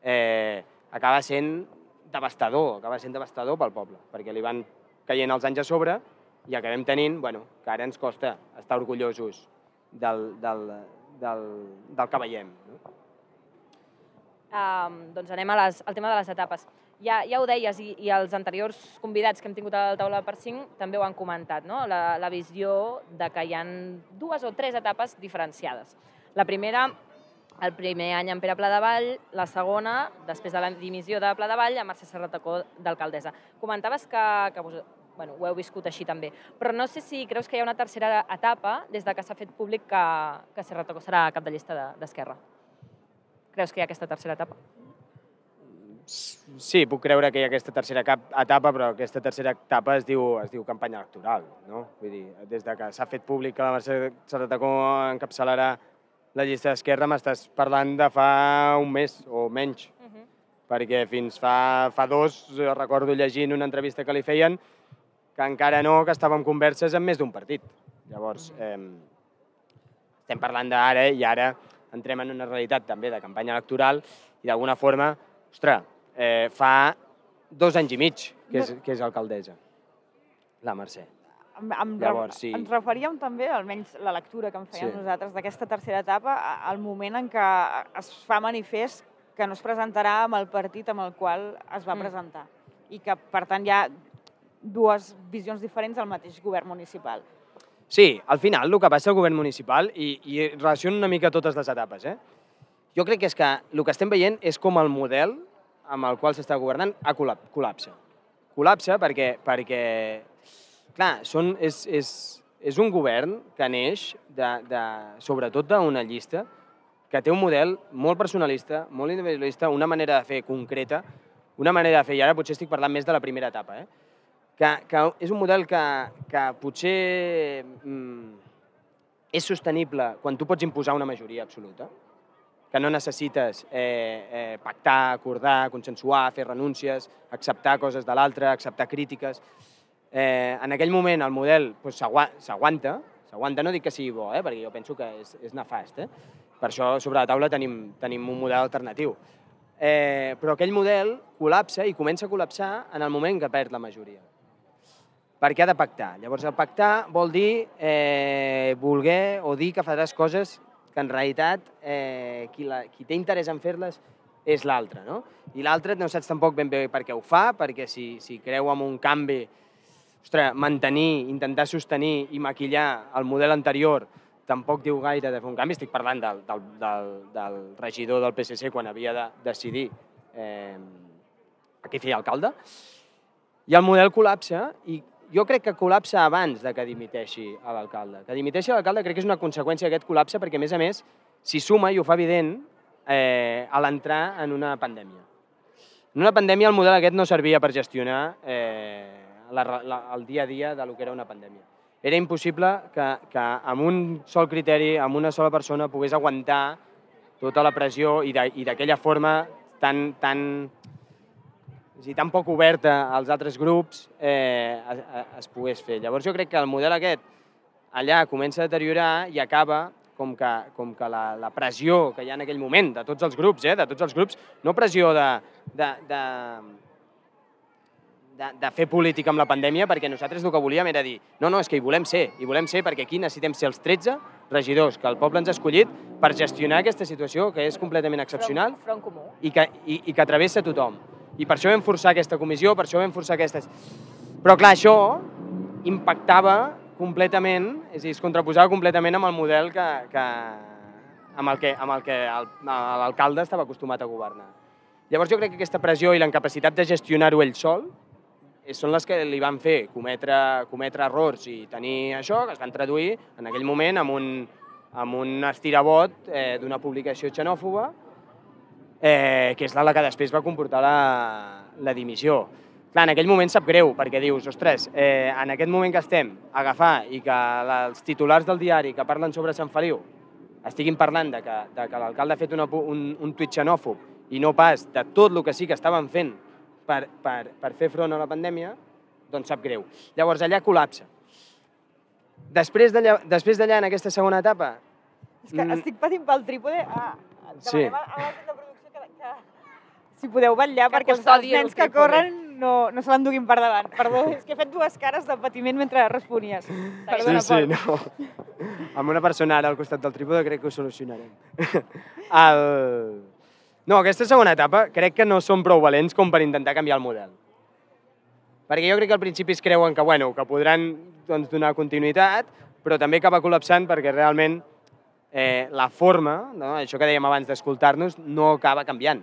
eh, acaba sent devastador, acaba sent devastador pel poble, perquè li van caient els anys a sobre i acabem tenint, bueno, que ara ens costa estar orgullosos del, del, del, del que veiem. No? Um, doncs anem a les, al tema de les etapes. Ja, ja ho deies, i, i els anteriors convidats que hem tingut a la taula per cinc també ho han comentat, no? la, la visió de que hi ha dues o tres etapes diferenciades. La primera, el primer any en Pere Pladevall, la segona, després de la dimissió de Pladevall, a Mercè Serratacó d'alcaldessa. Comentaves que, que vos, bueno, ho heu viscut així també, però no sé si creus que hi ha una tercera etapa des de que s'ha fet públic que, que Serratacó serà cap de llista d'Esquerra. Creus que hi ha aquesta tercera etapa? Sí, puc creure que hi ha aquesta tercera etapa, però aquesta tercera etapa es diu, es diu campanya electoral. No? Vull dir, des de que s'ha fet públic que la Mercè Serratacó encapçalarà la llista d'Esquerra, m'estàs parlant de fa un mes o menys, uh -huh. perquè fins fa, fa dos recordo llegint una entrevista que li feien que encara no, que estàvem converses amb més d'un partit. Llavors, eh, estem parlant d'ara i ara entrem en una realitat també de campanya electoral i d'alguna forma, ostres, eh, fa dos anys i mig que és, que és alcaldessa, la Mercè. Em, em Llavors, sí. Ens referíem també, almenys la lectura que en fèiem sí. nosaltres d'aquesta tercera etapa, al moment en què es fa manifest que no es presentarà amb el partit amb el qual es va mm. presentar i que, per tant, hi ha dues visions diferents al mateix govern municipal. Sí, al final el que passa al govern municipal, i, i relaciono una mica totes les etapes, eh? jo crec que és que el que estem veient és com el model amb el qual s'està governant ha col·lapsa. Col·lapsa perquè, perquè clar, són, és, és, és un govern que neix de, de, sobretot d'una llista que té un model molt personalista, molt individualista, una manera de fer concreta, una manera de fer, i ara potser estic parlant més de la primera etapa, eh? que, que és un model que, que potser mm, és sostenible quan tu pots imposar una majoria absoluta, que no necessites eh, eh, pactar, acordar, consensuar, fer renúncies, acceptar coses de l'altre, acceptar crítiques. Eh, en aquell moment el model doncs, s'aguanta, s'aguanta, no dic que sigui bo, eh, perquè jo penso que és, és nefast. Eh? Per això sobre la taula tenim, tenim un model alternatiu. Eh, però aquell model col·lapsa i comença a col·lapsar en el moment que perd la majoria. Perquè ha de pactar. Llavors, el pactar vol dir eh, voler o dir que faràs coses que en realitat eh, qui, la, qui té interès en fer-les és l'altre, no? I l'altre no saps tampoc ben bé per què ho fa, perquè si, si creu en un canvi, ostres, mantenir, intentar sostenir i maquillar el model anterior tampoc diu gaire de fer un canvi. Estic parlant del, del, del, del regidor del P S C quan havia de decidir eh, a qui feia alcalde. I el model col·lapsa i jo crec que col·lapsa abans de que dimiteixi l'alcalde. Que dimiteixi l'alcalde crec que és una conseqüència d'aquest col·lapse perquè, a més a més, s'hi suma, i ho fa evident, eh, a l'entrar en una pandèmia. En una pandèmia el model aquest no servia per gestionar eh, la, la, el dia a dia de lo que era una pandèmia. Era impossible que, que amb un sol criteri, amb una sola persona, pogués aguantar tota la pressió i d'aquella forma tan... tan i tan poc oberta als altres grups eh, es, es pogués fer. Llavors jo crec que el model aquest allà comença a deteriorar i acaba com que, com que la, la pressió que hi ha en aquell moment de tots els grups, eh, de tots els grups, no pressió de, de, de, de, de fer política amb la pandèmia, perquè nosaltres el que volíem era dir no, no, és que hi volem ser, hi volem ser perquè aquí necessitem ser els tretze regidors que el poble ens ha escollit per gestionar aquesta situació que és completament excepcional front, front comú. I, que, i, i que travessa tothom. I per això vam forçar aquesta comissió, per això vam forçar aquestes... Però clar, això impactava completament, és a dir, es contraposava completament amb el model que, que, amb el que, amb el que l'alcalde estava acostumat a governar. Llavors jo crec que aquesta pressió i la incapacitat de gestionar-ho ell sol són les que li van fer cometre, cometre errors i tenir això, que es van traduir en aquell moment amb un, amb un estirabot eh, d'una publicació xenòfoba, Eh, que és la que després va comportar la, la dimissió. Clar, en aquell moment sap greu, perquè dius, ostres, eh, en aquest moment que estem a agafar i que la, els titulars del diari que parlen sobre Sant Feliu estiguin parlant de que, de que l'alcalde ha fet una, un, un tuit xenòfob i no pas de tot el que sí que estaven fent per, per, per fer front a la pandèmia, doncs sap greu. Llavors allà col·lapsa. Després d'allà, després d'allà en aquesta segona etapa... És que mm, estic patint pel trípode. Ah, sí. A l'agent de producció que, que si podeu vetllar, perquè els, els nens que corren no, no se l'enduguin per davant. Perdó, és que he fet dues cares de patiment mentre responies. Perdona, sí, sí, Pol. no. Amb una persona ara al costat del trípode crec que ho solucionarem. El... No, aquesta segona etapa crec que no són prou valents com per intentar canviar el model. Perquè jo crec que al principi es creuen que, bueno, que podran doncs, donar continuïtat, però també acaba col·lapsant perquè realment eh, la forma, no? Això que dèiem abans d'escoltar-nos, no acaba canviant.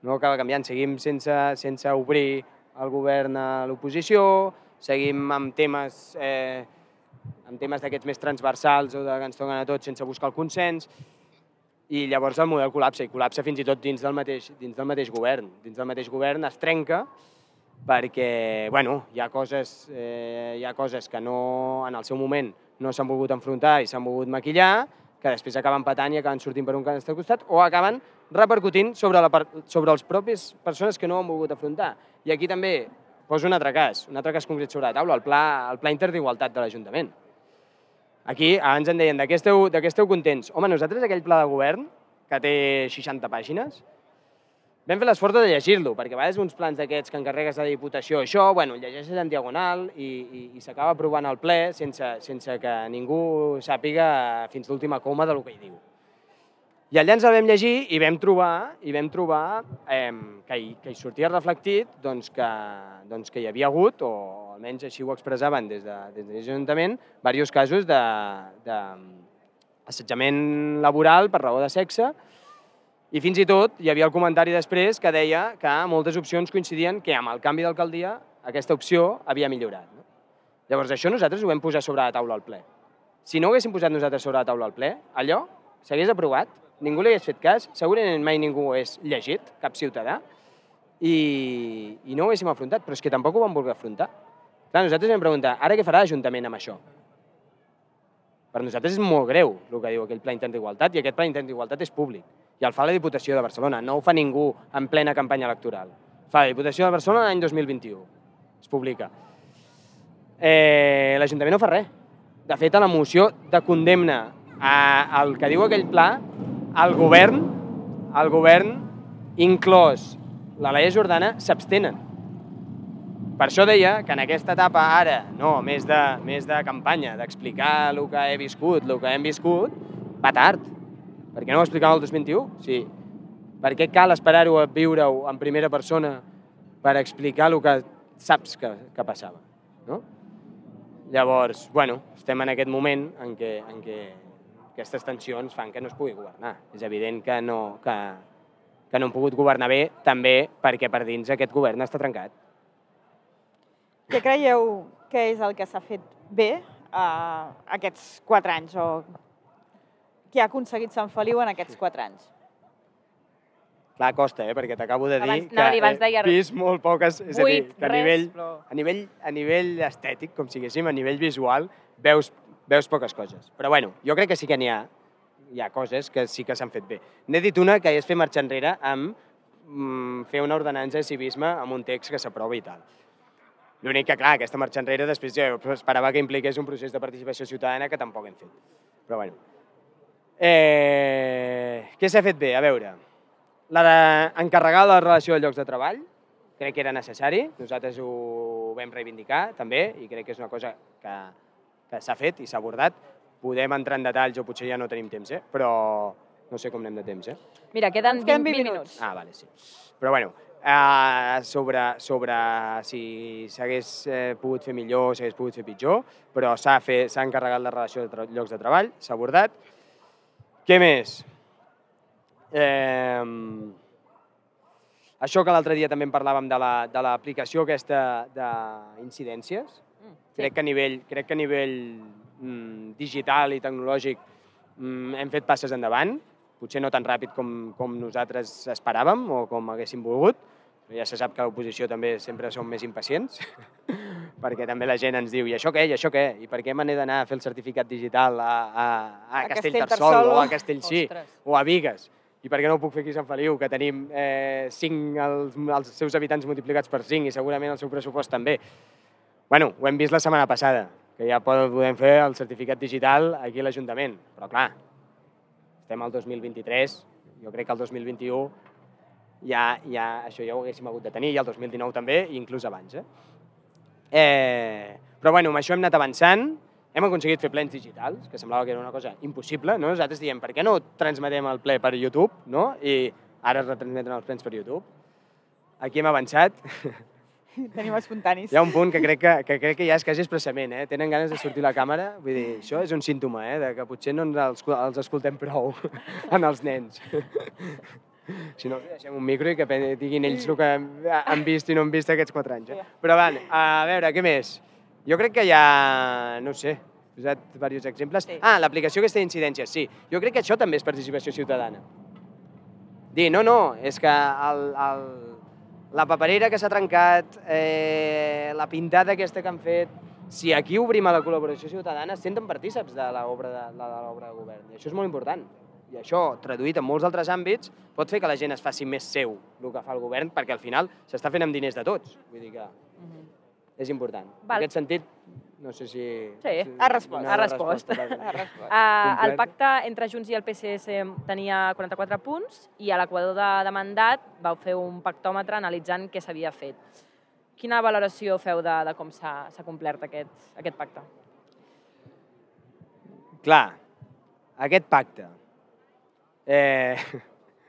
No acaba canviant. Seguim sense, sense obrir el govern a l'oposició, seguim amb temes, eh, amb temes d'aquests més transversals o de que ens toquen a tots sense buscar el consens, i llavors el model col·lapsa, i col·lapsa fins i tot dins del mateix, dins del mateix govern. Dins del mateix govern es trenca perquè, bueno, hi ha coses, eh, hi ha coses que no, en el seu moment no s'han volgut enfrontar i s'han volgut maquillar, que després acaben patant i acaben sortint per un costat, o acaben repercutint sobre, la, sobre els propis persones que no han volgut afrontar. I aquí també poso un altre cas, un altre cas concret sobre la taula, el pla, el pla interd'igualtat de l'Ajuntament. Aquí, abans em deien, de què esteu, de què esteu contents? Home, nosaltres aquell pla de govern, que té seixanta pàgines, vam fer l'esforç de llegir-lo, perquè a vegades uns plans d'aquests que encarregues a la Diputació, això, bueno, llegeixes en diagonal i, i, i s'acaba aprovant al ple sense, sense que ningú sàpiga fins l'última coma del que hi diu. I allà ens el vam llegir i vam trobar, i vam trobar eh, que, hi, que hi sortia reflectit doncs, que, doncs, que hi havia hagut, o almenys així ho expressaven des de, des de l'Ajuntament, diversos casos d'assetjament laboral per raó de sexe, i fins i tot hi havia el comentari després que deia que moltes opcions coincidien que amb el canvi d'alcaldia aquesta opció havia millorat. No? Llavors això nosaltres ho vam posar sobre la taula al ple. Si no ho haguéssim posat nosaltres sobre la taula al ple, allò s'hagués aprovat, ningú li hagués fet cas, segurament mai ningú ho hagués llegit, cap ciutadà, i, i no ho haguéssim afrontat, però és que tampoc ho vam voler afrontar. Clar, nosaltres vam preguntar, ara què farà l'Ajuntament amb això? Per nosaltres és molt greu el que diu aquell pla interd'igualtat, i aquest pla interd'igualtat és públic. I el fa la Diputació de Barcelona, no ho fa ningú en plena campanya electoral. Fa la Diputació de Barcelona l'any dos mil vint-i-u. Es publica. Eh, L'Ajuntament no fa res. De fet, a la moció de condemna al que diu aquell pla, el govern, el govern, inclòs la Laia Jordana, s'abstenen. Per això deia que en aquesta etapa ara, no, més de, més de campanya, d'explicar el que he viscut, el que hem viscut, va tard. Per què no ho explicàvem el dos mil vint-i-u? Sí. Per què cal esperar-ho a viure-ho en primera persona per explicar el que saps que, que passava? No? Llavors, bueno, estem en aquest moment en què, en què aquestes tensions fan que no es pugui governar. És evident que no, que, que no hem pogut governar bé, també perquè per dins aquest govern està trencat. Què creieu que és el que s'ha fet bé uh, aquests quatre anys? O què ha aconseguit Sant Feliu en aquests quatre anys? Clar, costa, eh? Perquè t'acabo de dir abans, que abans he deia... vist molt poques... És a dir, Vuit, que a res, nivell, però... a, nivell, a nivell estètic, com siguéssim, a nivell visual, veus, veus poques coses. Però bueno, jo crec que sí que n'hi ha, hi ha coses que sí que s'han fet bé. N'he dit una que és fer marxa enrere amb mm, fer una ordenança de civisme amb un text que s'aprova i tal. L'únic que, clar, aquesta marxa enrere després jo esperava que impliqués un procés de participació ciutadana que tampoc hem fet. Però bueno. Eh, què s'ha fet bé? A veure, la d'encarregar la relació de llocs de treball, crec que era necessari, nosaltres ho vam reivindicar també, i crec que és una cosa que, que s'ha fet i s'ha abordat. Podem entrar en detalls o potser ja no tenim temps, eh? Però no sé com anem de temps, eh? Mira, queden vint, vint minuts. Ah, vale, sí. Però bueno, eh, sobre, sobre si s'hagués eh, pogut fer millor o s'hagués pogut fer pitjor, però s'ha encarregat la relació de llocs de treball, s'ha abordat. Què més? Eh, això que l'altre dia també en parlàvem de l'aplicació la, de aquesta d'incidències. Mm, sí. Crec que a nivell, crec que a nivell mm, digital i tecnològic mm, hem fet passes endavant, potser no tan ràpid com, com nosaltres esperàvem o com haguéssim volgut. Ja se sap que a l'oposició també sempre som més impacients, perquè també la gent ens diu i això què, i això què, i per què me n'he d'anar a fer el certificat digital a, a, a, a Castellterçol o a Castellcí o a Bigues? I per què no ho puc fer aquí a Sant Feliu, que tenim eh, cinc, els, els seus habitants multiplicats per cinc i segurament el seu pressupost també? Bueno, ho hem vist la setmana passada, que ja podem fer el certificat digital aquí a l'Ajuntament, però clar, estem al dos mil vint-i-tres, jo crec que el dos mil vint-i-u ja, ja, això ja ho haguéssim hagut de tenir, i el dos mil dinou també, i inclús abans. Eh? Eh, però bueno, amb això hem anat avançant, hem aconseguit fer plens digitals, que semblava que era una cosa impossible, no? Nosaltres diem, per què no transmetem el ple per YouTube, no? I ara es retransmeten els plens per YouTube. Aquí hem avançat. Tenim espontanis. Hi ha un punt que crec que, que, crec que ja és quasi expressament, eh? Tenen ganes de sortir a la càmera, vull dir, això és un símptoma, eh? De que potser no ens els, els escoltem prou en els nens. Si no, els deixem un micro i que diguin ells el que han vist i no han vist aquests quatre anys. Eh? Però va, a veure, què més? Jo crec que hi ha, no sé, he posat diversos exemples. Sí. Ah, l'aplicació aquesta d'incidències, sí. Jo crec que això també és participació ciutadana. Dir, no, no, és que el, el, la paperera que s'ha trencat, eh, la pintada aquesta que han fet, si aquí obrim a la col·laboració ciutadana, es senten partíceps de l'obra de, de, de l'obra de govern. I això és molt important. I això, traduït en molts altres àmbits, pot fer que la gent es faci més seu el que fa el govern, perquè al final s'està fent amb diners de tots. Vull dir que uh-huh. és important. Val. En aquest sentit, no sé si... Sí, si ha respost. Ha respost. Ha respost. Uh, el pacte entre Junts i el P S C tenia quaranta-quatre punts i a l'equador de, de mandat vau fer un pactòmetre analitzant què s'havia fet. Quina valoració feu de, de com s'ha complert aquest, aquest pacte? Clar, aquest pacte. Eh,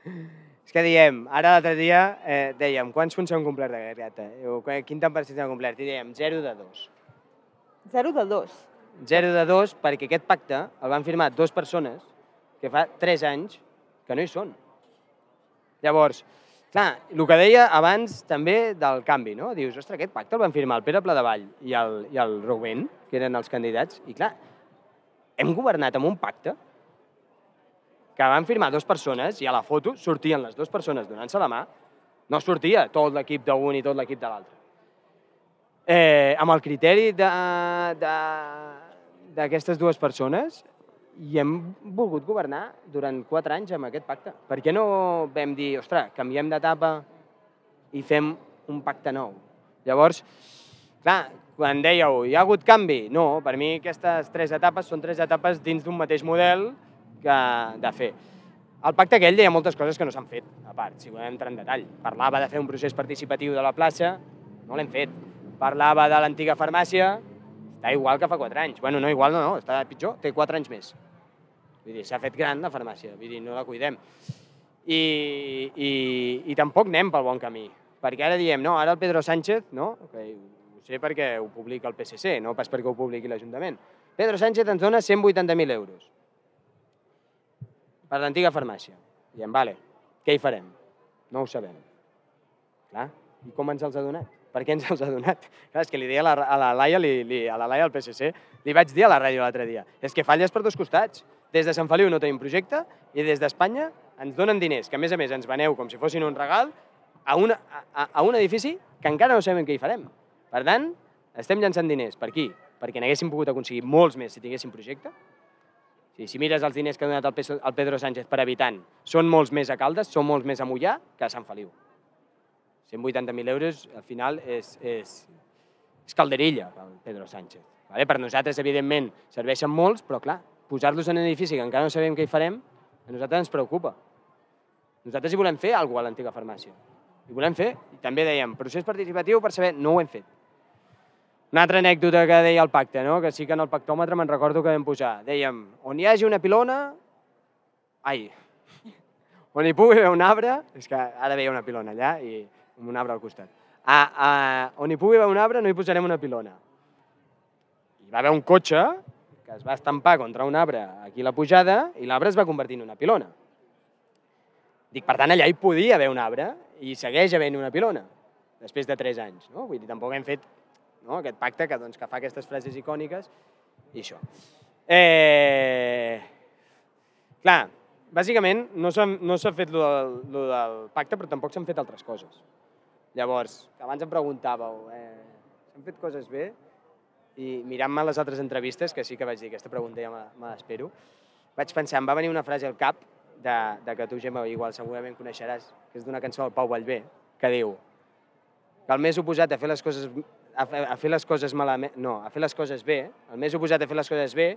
és que diem, ara l'altre dia eh, dèiem, quants punts s'han complert d'aquest pacte? Quin tant per cent s'han complert? I dèiem, zero de dos. Zero de dos? Zero de dos, perquè aquest pacte el van firmar dues persones que fa tres anys que no hi són. Llavors, clar, el que deia abans també del canvi, no? Dius, ostres, aquest pacte el van firmar el Pere Pladevall i el, i el Rubén, que eren els candidats, i clar, hem governat amb un pacte que van firmar dues persones i a la foto sortien les dues persones donant-se la mà, no sortia tot l'equip d'un i tot l'equip de l'altre. Eh, amb el criteri d'aquestes dues persones i hem volgut governar durant quatre anys amb aquest pacte. Per què no vam dir, ostres, canviem d'etapa i fem un pacte nou? Llavors, clar, quan dèieu, hi ha hagut canvi? No, per mi aquestes tres etapes són tres etapes dins d'un mateix model que de fer. El pacte aquell deia moltes coses que no s'han fet, a part, si volem entrar en detall. Parlava de fer un procés participatiu de la plaça, no l'hem fet. Parlava de l'antiga farmàcia, està igual que fa quatre anys. Bueno, no, igual no, no, està pitjor, té quatre anys més. Vull dir, s'ha fet gran la farmàcia, vull dir, no la cuidem. I, i, i tampoc anem pel bon camí, perquè ara diem, no, ara el Pedro Sánchez, no, que ho sé perquè ho publica el P S C, no pas perquè ho publiqui l'Ajuntament. Pedro Sánchez ens dona cent vuitanta mil euros per l'antiga farmàcia. Diem, vale, què hi farem? No ho sabem. Clar, i com ens els ha donat? Per què ens els ha donat? Clar, és que li deia a la, a la Laia, li, li, a la Laia del P S C, li vaig dir a la ràdio l'altre dia, és que falles per dos costats. Des de Sant Feliu no tenim projecte i des d'Espanya ens donen diners, que a més a més ens veneu com si fossin un regal, a, una, a, a un edifici que encara no sabem què hi farem. Per tant, estem llançant diners. Per qui? Perquè n'haguéssim pogut aconseguir molts més si tinguéssim projecte. Sí, si mires els diners que ha donat el Pedro Sánchez per habitant, són molts més a Caldes, són molts més a Mollà que a Sant Feliu. cent vuitanta mil euros, al final, és, és, és calderilla pel Pedro Sánchez. Vale? Per nosaltres, evidentment, serveixen molts, però clar, posar-los en un edifici que encara no sabem què hi farem, a nosaltres ens preocupa. Nosaltres hi volem fer alguna cosa a l'antiga farmàcia. Hi volem fer, i també dèiem, procés participatiu per saber, no ho hem fet. Una altra anècdota que deia el pacte, no? Que sí que en el pactòmetre me'n recordo que vam posar. Dèiem, on hi hagi una pilona... Ai, on hi pugui haver un arbre... És que ara veia una pilona allà i un arbre al costat. Ah, ah, on hi pugui haver un arbre no hi posarem una pilona. Hi va haver un cotxe que es va estampar contra un arbre aquí a la pujada i l'arbre es va convertir en una pilona. Dic, per tant, allà hi podia haver un arbre i segueix havent una pilona, després de tres anys. No? Vull dir, tampoc hem fet no? aquest pacte que, doncs, que fa aquestes frases icòniques i això. Eh... Clar, bàsicament no s'ha no fet lo del, lo del pacte, però tampoc s'han fet altres coses. Llavors, abans em preguntàveu, eh, s'han fet coses bé? I mirant-me les altres entrevistes, que sí que vaig dir aquesta pregunta ja me l'espero, vaig pensar, em va venir una frase al cap de, de que tu, Gemma, igual segurament coneixeràs, que és d'una cançó del Pau Vallvé, que diu que el més oposat a fer les coses a fer, a fer les coses malament, no, a fer les coses bé, el més oposat a fer les coses bé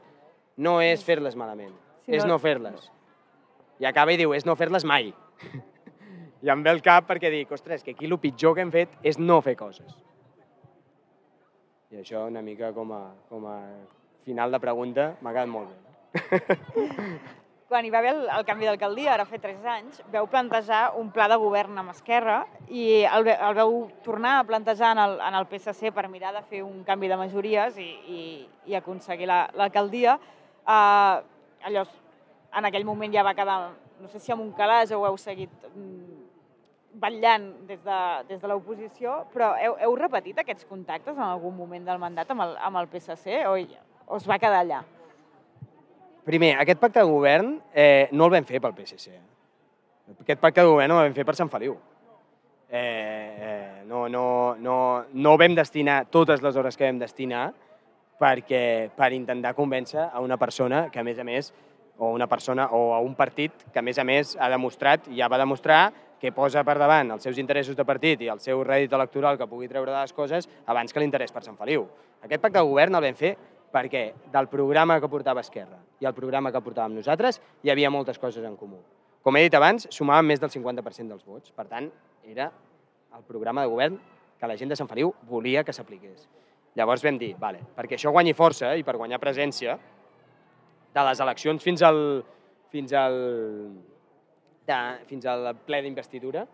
no és fer-les malament, sí, és no fer-les. I acaba i diu, és no fer-les mai. I em ve el cap perquè dic, ostres, que aquí el pitjor que hem fet és no fer coses. I això una mica com a, com a final de pregunta m'ha quedat molt bé. Quan hi va haver el, el canvi d'alcaldia, ara fa tres anys, veu plantejar un pla de govern amb Esquerra i el, el veu tornar a plantejar en el, en el P S C per mirar de fer un canvi de majories i, i, i aconseguir l'alcaldia. La, uh, allò, en aquell moment ja va quedar, no sé si amb un calaix o ho heu seguit vetllant des de, des de l'oposició, però heu, heu repetit aquests contactes en algun moment del mandat amb el, amb el P S C o, o es va quedar allà? Primer, aquest pacte de govern eh, no el vam fer pel P S C. Aquest pacte de govern no el vam fer per Sant Feliu. Eh, eh, no, no, no, no vam destinar totes les hores que vam destinar perquè, per intentar convèncer a una persona que, a més a més, o una persona o a un partit que, a més a més, ha demostrat, ja va demostrar, que posa per davant els seus interessos de partit i el seu rèdit electoral que pugui treure de les coses abans que l'interès per Sant Feliu. Aquest pacte de govern el vam fer perquè del programa que portava Esquerra i el programa que portàvem nosaltres hi havia moltes coses en comú. Com he dit abans, sumàvem més del cinquanta per cent dels vots. Per tant, era el programa de govern que la gent de Sant Feliu volia que s'apliqués. Llavors vam dir, vale, perquè això guanyi força i per guanyar presència, de les eleccions fins al, fins al, de, fins al ple d'investidura,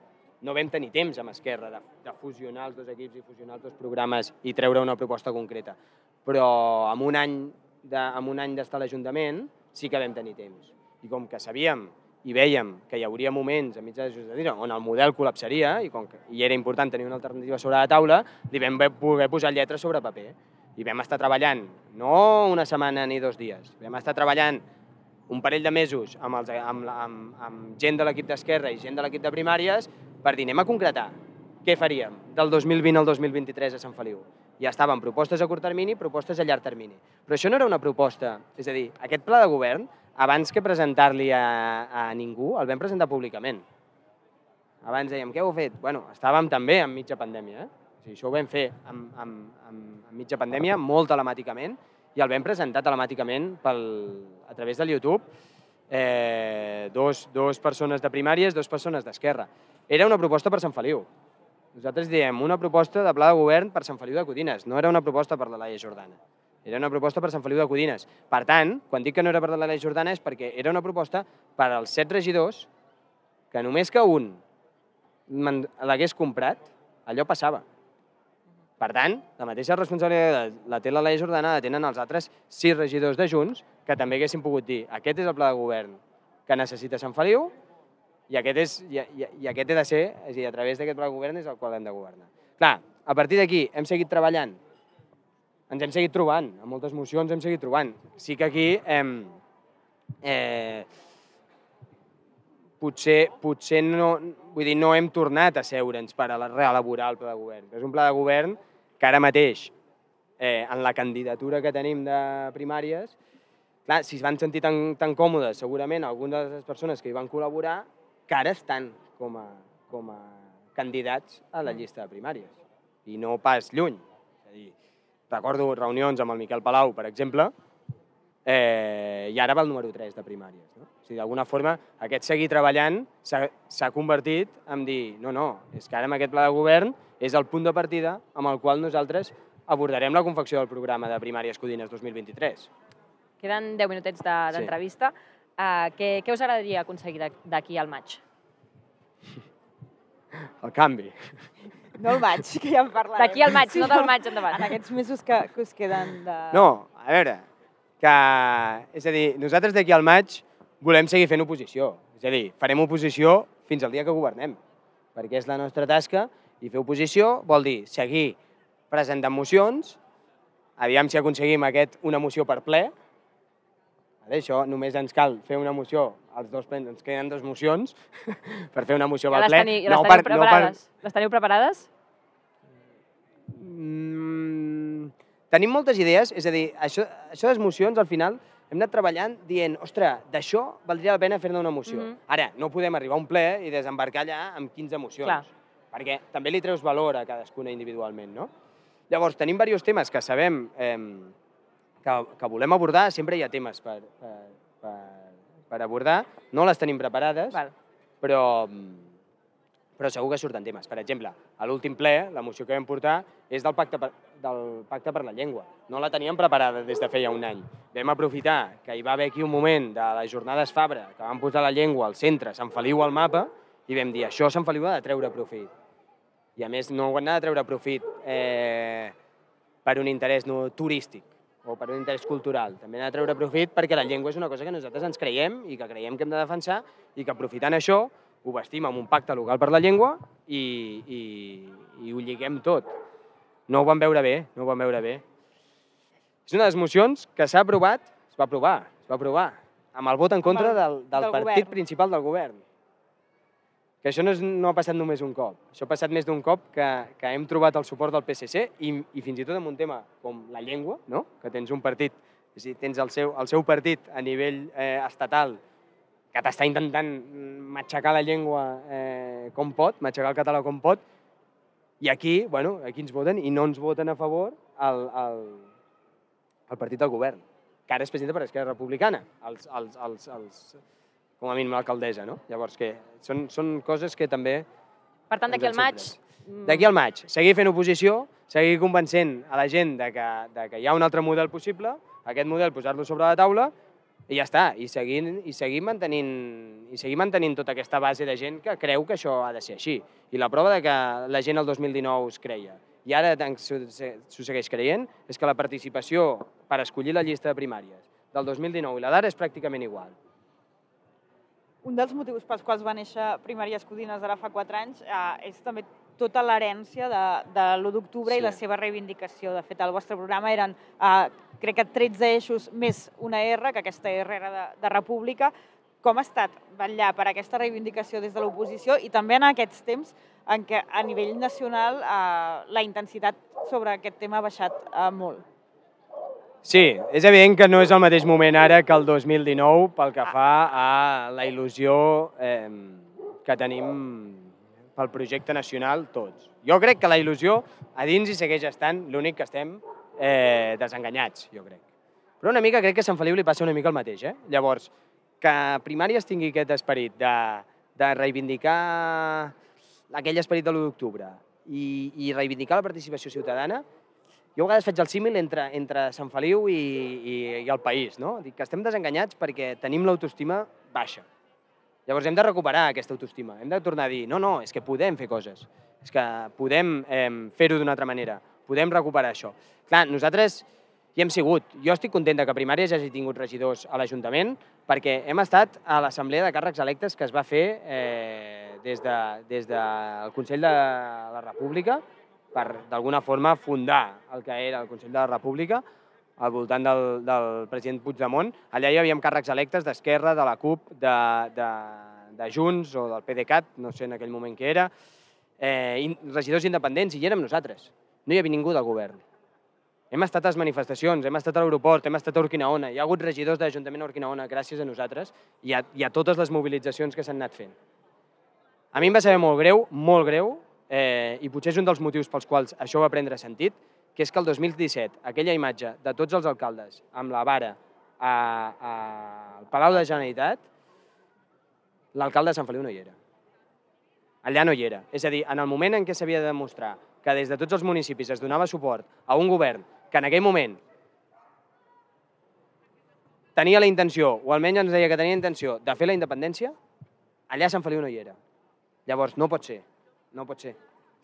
no vam tenir temps amb Esquerra de, de fusionar els dos equips i fusionar els dos programes i treure una proposta concreta. Però amb un any de, amb un any d'estar a l'Ajuntament sí que vam tenir temps. I com que sabíem i vèiem que hi hauria moments a mitjà de legislatura on el model col·lapsaria i, com que, i era important tenir una alternativa sobre la taula, li vam poder posar lletres sobre paper. I vam estar treballant, no una setmana ni dos dies, vam estar treballant un parell de mesos amb, els, amb, amb, amb gent de l'equip d'Esquerra i gent de l'equip de primàries per dir, anem a concretar què faríem del dos mil vint al dos mil vint-i-tres a Sant Feliu. Ja estaven propostes a curt termini, propostes a llarg termini. Però això no era una proposta, és a dir, aquest pla de govern, abans que presentar-li a, a ningú, el vam presentar públicament. Abans dèiem, què heu fet? Bueno, estàvem també en mitja pandèmia, eh? O sigui, això ho vam fer en, en, en, en mitja pandèmia, molt telemàticament, i el vam presentar telemàticament pel, a través del YouTube, eh, dos, dos persones de primàries, dos persones d'Esquerra. Era una proposta per Sant Feliu. Nosaltres diem una proposta de pla de govern per Sant Feliu de Codines, no era una proposta per la Laia Jordana. Era una proposta per Sant Feliu de Codines. Per tant, quan dic que no era per la Laia Jordana és perquè era una proposta per als set regidors que només que un l'hagués comprat, allò passava. Per tant, la mateixa responsabilitat la té la Laia Jordana, la tenen els altres sis regidors de Junts que també haguessin pogut dir aquest és el pla de govern que necessita Sant Feliu i aquest, és, i, i, i aquest he de ser, és a dir, a través d'aquest pla de govern és el qual hem de governar. Clar, a partir d'aquí hem seguit treballant, ens hem seguit trobant, amb moltes mocions hem seguit trobant. Sí que aquí eh, eh, potser, potser no, vull dir, no hem tornat a seure'ns per a reelaborar el pla de govern. És un pla de govern que ara mateix, eh, en la candidatura que tenim de primàries, clar, si es van sentir tan, tan còmodes, segurament algunes de les persones que hi van col·laborar, que ara estan com a, com a candidats a la llista de primàries. I no pas lluny. És a dir, recordo reunions amb el Miquel Palau, per exemple, eh, i ara va el número tres de primàries. No? O sigui, d'alguna forma, aquest seguir treballant s'ha convertit en dir no, no, és que ara amb aquest pla de govern és el punt de partida amb el qual nosaltres abordarem la confecció del programa de Primàries Codines dos mil vint-i-tres. Queden deu minutets d'entrevista. De, sí. Uh, què, què us agradaria aconseguir d'aquí al maig? El canvi. No el maig, que ja en parlarem. D'aquí al maig, sí, no del maig endavant. En aquests mesos que, que us queden de... No, a veure, que... És a dir, nosaltres d'aquí al maig volem seguir fent oposició. És a dir, farem oposició fins al dia que governem, perquè és la nostra tasca, i fer oposició vol dir seguir presentant mocions, aviam si aconseguim aquest, una moció per ple. Això només ens cal fer una moció, els dos plens, ens queden dues mocions per fer una moció ja pel ple. Teni, ja les, no teniu per, no per... les teniu preparades? Mm, tenim moltes idees, és a dir, això, això de les mocions al final hem anat treballant dient, ostres, d'això valdria la pena fer-ne una moció. Mm -hmm. Ara, no podem arribar a un ple i desembarcar allà amb quinze mocions, clar, perquè també li treus valor a cadascuna individualment, no? Llavors, tenim diversos temes que sabem eh, que, que volem abordar, sempre hi ha temes per, per, per, per abordar, no les tenim preparades, val, però, però segur que surten temes. Per exemple, a l'últim ple, la moció que vam portar és del pacte per, del pacte per la llengua. No la teníem preparada des de feia un any. Vam aprofitar que hi va haver aquí un moment de les jornades Fabra, que vam posar la llengua al centre, Sant Feliu al mapa, i vam dir, això Sant Feliu ha de treure profit. I a més no ho han de treure profit eh, per un interès no, turístic o per un interès cultural. També han de treure profit perquè la llengua és una cosa que nosaltres ens creiem i que creiem que hem de defensar i que aprofitant això ho vestim amb un pacte local per la llengua i, i, i ho lliguem tot. No ho van veure bé, no ho van veure bé. És una de les mocions que s'ha aprovat, es va aprovar, es va aprovar, amb el vot en contra del, del, del partit govern. principal del govern. Que això no, és, no ha passat només un cop. Això ha passat més d'un cop que, que hem trobat el suport del P S C i, i fins i tot en un tema com la llengua, no? Que tens un partit, és a dir, tens el seu, el seu partit a nivell eh, estatal que t'està intentant matxacar la llengua eh, com pot, matxacar el català com pot, i aquí, bueno, aquí ens voten i no ens voten a favor el, el, el partit del govern, que ara es presenta per Esquerra Republicana, els, els, els, els com a mínim l'alcaldessa, no? Llavors, que són, són coses que també... Per tant, d'aquí al maig... D'aquí al maig, seguir fent oposició, seguir convencent a la gent de que, de que hi ha un altre model possible, aquest model posar-lo sobre la taula, i ja està, i seguir, i seguir, mantenint, i seguir mantenint tota aquesta base de gent que creu que això ha de ser així. I la prova de que la gent el dos mil dinou es creia, i ara s'ho segueix creient, és que la participació per escollir la llista de primàries del dos mil dinou i la d'ara és pràcticament igual. Un dels motius pels quals va néixer Primàries Codines ara fa quatre anys eh, és també tota l'herència de, de l'u d'octubre sí. i la seva reivindicació. De fet, el vostre programa eren, eh, crec que tretze eixos més una R, que aquesta R era de, de república. Com ha estat vetllar per aquesta reivindicació des de l'oposició i també en aquests temps en què a nivell nacional eh, la intensitat sobre aquest tema ha baixat eh, molt? Sí, és evident que no és el mateix moment ara que el dos mil dinou pel que fa a la il·lusió eh, que tenim pel projecte nacional tots. Jo crec que la il·lusió a dins hi segueix estant, l'únic que estem eh, desenganyats, jo crec. Però una mica crec que a Sant Feliu li passa una mica el mateix. Eh? Llavors, que Primàries tingui aquest esperit de, de reivindicar aquell esperit de l'u d'octubre i, i reivindicar la participació ciutadana, jo a vegades faig el símil entre, entre Sant Feliu i, i, i el país, no? Dic que estem desenganyats perquè tenim l'autoestima baixa. Llavors hem de recuperar aquesta autoestima, hem de tornar a dir, no, no, és que podem fer coses, és que podem eh, fer-ho d'una altra manera, podem recuperar això. Clar, nosaltres hi hem sigut. Jo estic content que Primàries hagi tingut regidors a l'Ajuntament perquè hem estat a l'Assemblea de Càrrecs Electes que es va fer eh, des, de, des del Consell de la República per, d'alguna forma, fundar el que era el Consell de la República al voltant del, del president Puigdemont. Allà hi havia càrrecs electes d'Esquerra, de la CUP, de, de, de Junts o del PDeCAT, no sé en aquell moment què era, eh, regidors independents, i hi érem nosaltres. No hi havia ningú del govern. Hem estat a les manifestacions, hem estat a l'aeroport, hem estat a Urquinaona, hi ha hagut regidors de l'Ajuntament a Urquinaona gràcies a nosaltres i a, i a totes les mobilitzacions que s'han anat fent. A mi em va saber molt greu, molt greu, Eh, i potser és un dels motius pels quals això va prendre sentit, que és que el dos mil disset aquella imatge de tots els alcaldes amb la vara a, a, al Palau de la Generalitat, l'alcalde de Sant Feliu no hi era. Allà no hi era. És a dir, en el moment en què s'havia de demostrar que des de tots els municipis es donava suport a un govern que en aquell moment tenia la intenció, o almenys ens deia que tenia intenció, de fer la independència, allà a Sant Feliu no hi era. Llavors, no pot ser. No pot ser.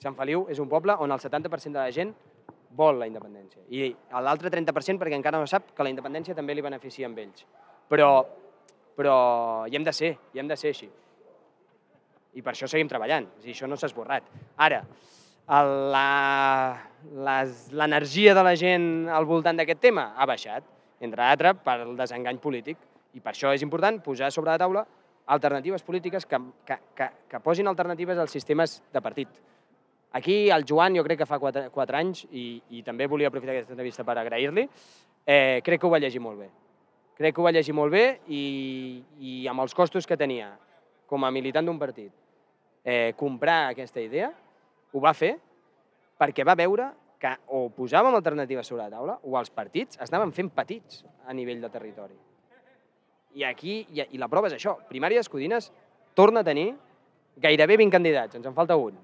Sant Feliu és un poble on el setanta per cent de la gent vol la independència. I l'altre trenta per cent perquè encara no sap que la independència també li beneficia amb ells. Però, però hi hem de ser, hi hem de ser així. I per això seguim treballant. És a dir, això no s'ha esborrat. Ara, l'energia de la gent al voltant d'aquest tema ha baixat, entre altres per el desengany polític. I per això és important posar sobre la taula alternatives polítiques que, que, que, que posin alternatives als sistemes de partit. Aquí el Joan, jo crec que fa quatre, quatre anys, i, i també volia aprofitar aquesta entrevista per agrair-li, eh, crec que ho va llegir molt bé. Crec que ho va llegir molt bé i, i amb els costos que tenia com a militant d'un partit, eh, comprar aquesta idea, ho va fer perquè va veure que o posàvem alternatives sobre la taula o els partits estaven fent petits a nivell de territori. I aquí, i la prova és això, Primàries Codines torna a tenir gairebé vint candidats, ens en falta un,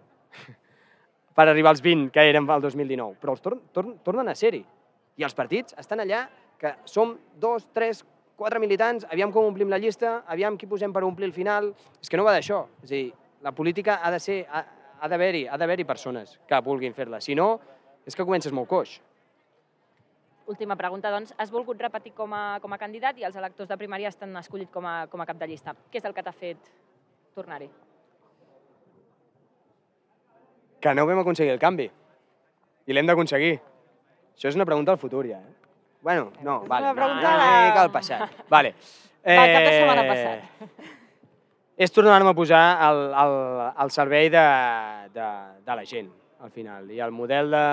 per arribar als vint que eren el dos mil dinou, però els tor tor tornen a ser-hi. I els partits estan allà, que som dos, tres, quatre militants, aviam com omplim la llista, aviam qui posem per omplir el final. És que no va d'això. És a dir, la política ha de ser, ha, ha d'haver-hi ha d'haver-hi persones que vulguin fer-la. Si no, és que comences molt coix. Última pregunta, doncs. Has volgut repetir com a, com a candidat i els electors de primària t'han escollit com a, com a cap de llista. Què és el que t'ha fet tornar-hi? Que no vam aconseguir el canvi. I l'hem d'aconseguir. Això és una pregunta al futur, ja. Eh? Bueno, no, és vale. una pregunta no, de... no, al passat. Vale. Eh... Va, cap de setmana passat. És tornar-me a posar al, al, al servei de, de, de la gent, al final. I el model de,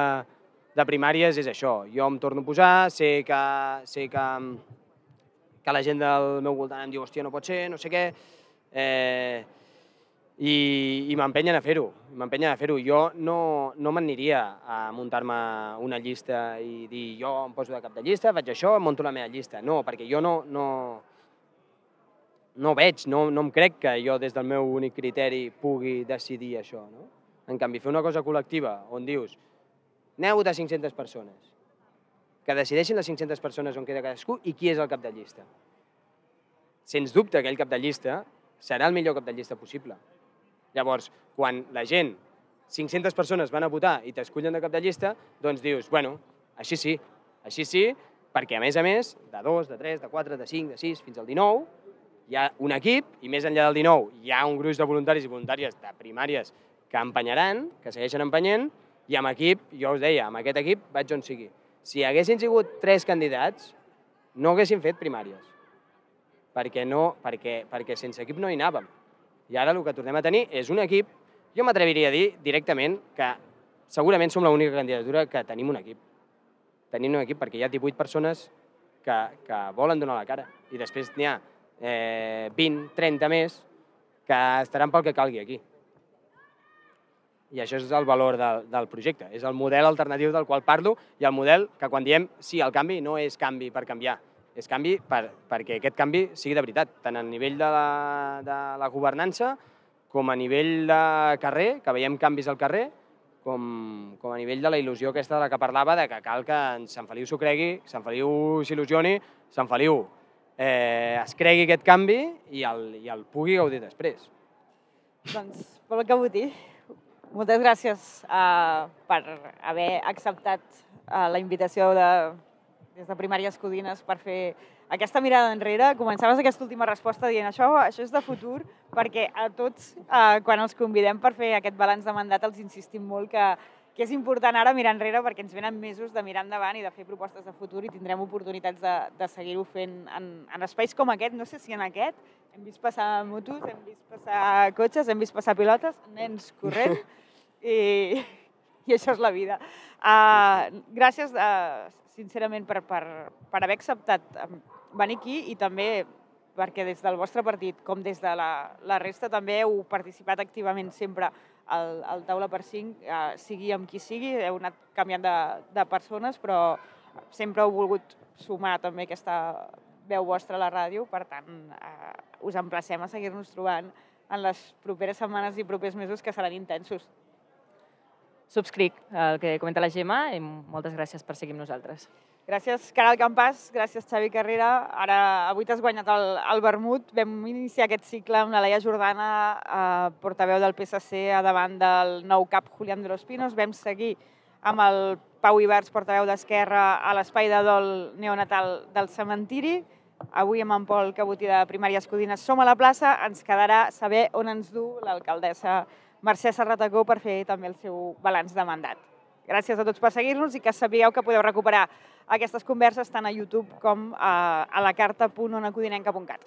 de primàries és això. Jo em torno a posar, sé que, sé que, que la gent del meu voltant em diu hòstia, no pot ser, no sé què, eh, i, i m'empenyen a fer-ho. M'empenyen a fer-ho. Jo no, no m'aniria a muntar-me una llista i dir jo em poso de cap de llista, faig això, em munto la meva llista. No, perquè jo no... no no veig, no, no em crec que jo des del meu únic criteri pugui decidir això, no? En canvi, fer una cosa col·lectiva on dius aneu a votar cinc-centes persones, que decideixin les cinc-centes persones on queda cadascú i qui és el cap de llista. Sens dubte, aquell cap de llista serà el millor cap de llista possible. Llavors, quan la gent, cinc-centes persones van a votar i t'escullen de cap de llista, doncs dius, bueno, així sí, així sí, perquè a més a més, de dos, de tres, de quatre, de cinc, de sis, fins al dinou, hi ha un equip, i més enllà del dinou hi ha un gruix de voluntaris i voluntàries de primàries que empenyaran, que segueixen empenyent, i amb equip, jo us deia, amb aquest equip vaig on sigui. Si haguessin sigut tres candidats, no haguessin fet primàries, perquè, no, perquè, perquè sense equip no hi anàvem. I ara el que tornem a tenir és un equip, jo m'atreviria a dir directament que segurament som l'única candidatura que tenim un equip. Tenim un equip perquè hi ha divuit persones que, que volen donar la cara, i després n'hi ha Eh, vint, trenta més, que estaran pel que calgui aquí. I això és el valor del, del projecte, és el model alternatiu del qual parlo i el model que quan diem sí, el canvi no és canvi per canviar, és canvi per, perquè aquest canvi sigui de veritat, tant a nivell de la, de la governança com a nivell de carrer, que veiem canvis al carrer, com, com a nivell de la il·lusió aquesta de la que parlava, de que cal que en Sant Feliu s'ho cregui, Sant Feliu s'il·lusioni, Sant Feliu Eh, es cregui aquest canvi i el, i el pugui gaudir després. Doncs, Pol Cabotí, moltes gràcies uh, per haver acceptat uh, la invitació de, des de Primàries Codines per fer aquesta mirada enrere. Començaves aquesta última resposta dient això, això és de futur, perquè a tots, uh, quan els convidem per fer aquest balanç de mandat, els insistim molt que que és important ara mirar enrere perquè ens venen mesos de mirar endavant i de fer propostes de futur i tindrem oportunitats de, de seguir-ho fent en, en espais com aquest. No sé si en aquest hem vist passar motos, hem vist passar cotxes, hem vist passar pilotes, nens corrent i, i això és la vida. Uh, gràcies, uh, sincerament, per, per, per haver acceptat venir aquí i també perquè des del vostre partit com des de la, la resta també heu participat activament sempre al, al taula per cinc, eh, sigui amb qui sigui, heu anat canviant de, de persones, però sempre heu volgut sumar també aquesta veu vostra a la ràdio, per tant, eh, us emplacem a seguir-nos trobant en les properes setmanes i propers mesos que seran intensos. Subscric el que comenta la Gemma i moltes gràcies per seguir amb nosaltres. Gràcies, Caral Campàs, gràcies, Xavi Carrera. Ara, avui t'has guanyat el, el vermut. Vam iniciar aquest cicle amb la Laia Jordana, eh, portaveu del P S C, a davant del nou cap Julián de los Pinos. Vam seguir amb el Pau Ibarz, portaveu d'Esquerra, a l'espai de dol neonatal del cementiri. Avui amb en Pol Cabotí de Primàries Codines som a la plaça. Ens quedarà saber on ens du l'alcaldessa Mercè Serratacó per fer també el seu balanç de mandat. Gràcies a tots per seguir-nos i que sapigueu que podeu recuperar aquestes converses tant a YouTube com a la carta punt onacodinenca punt cat.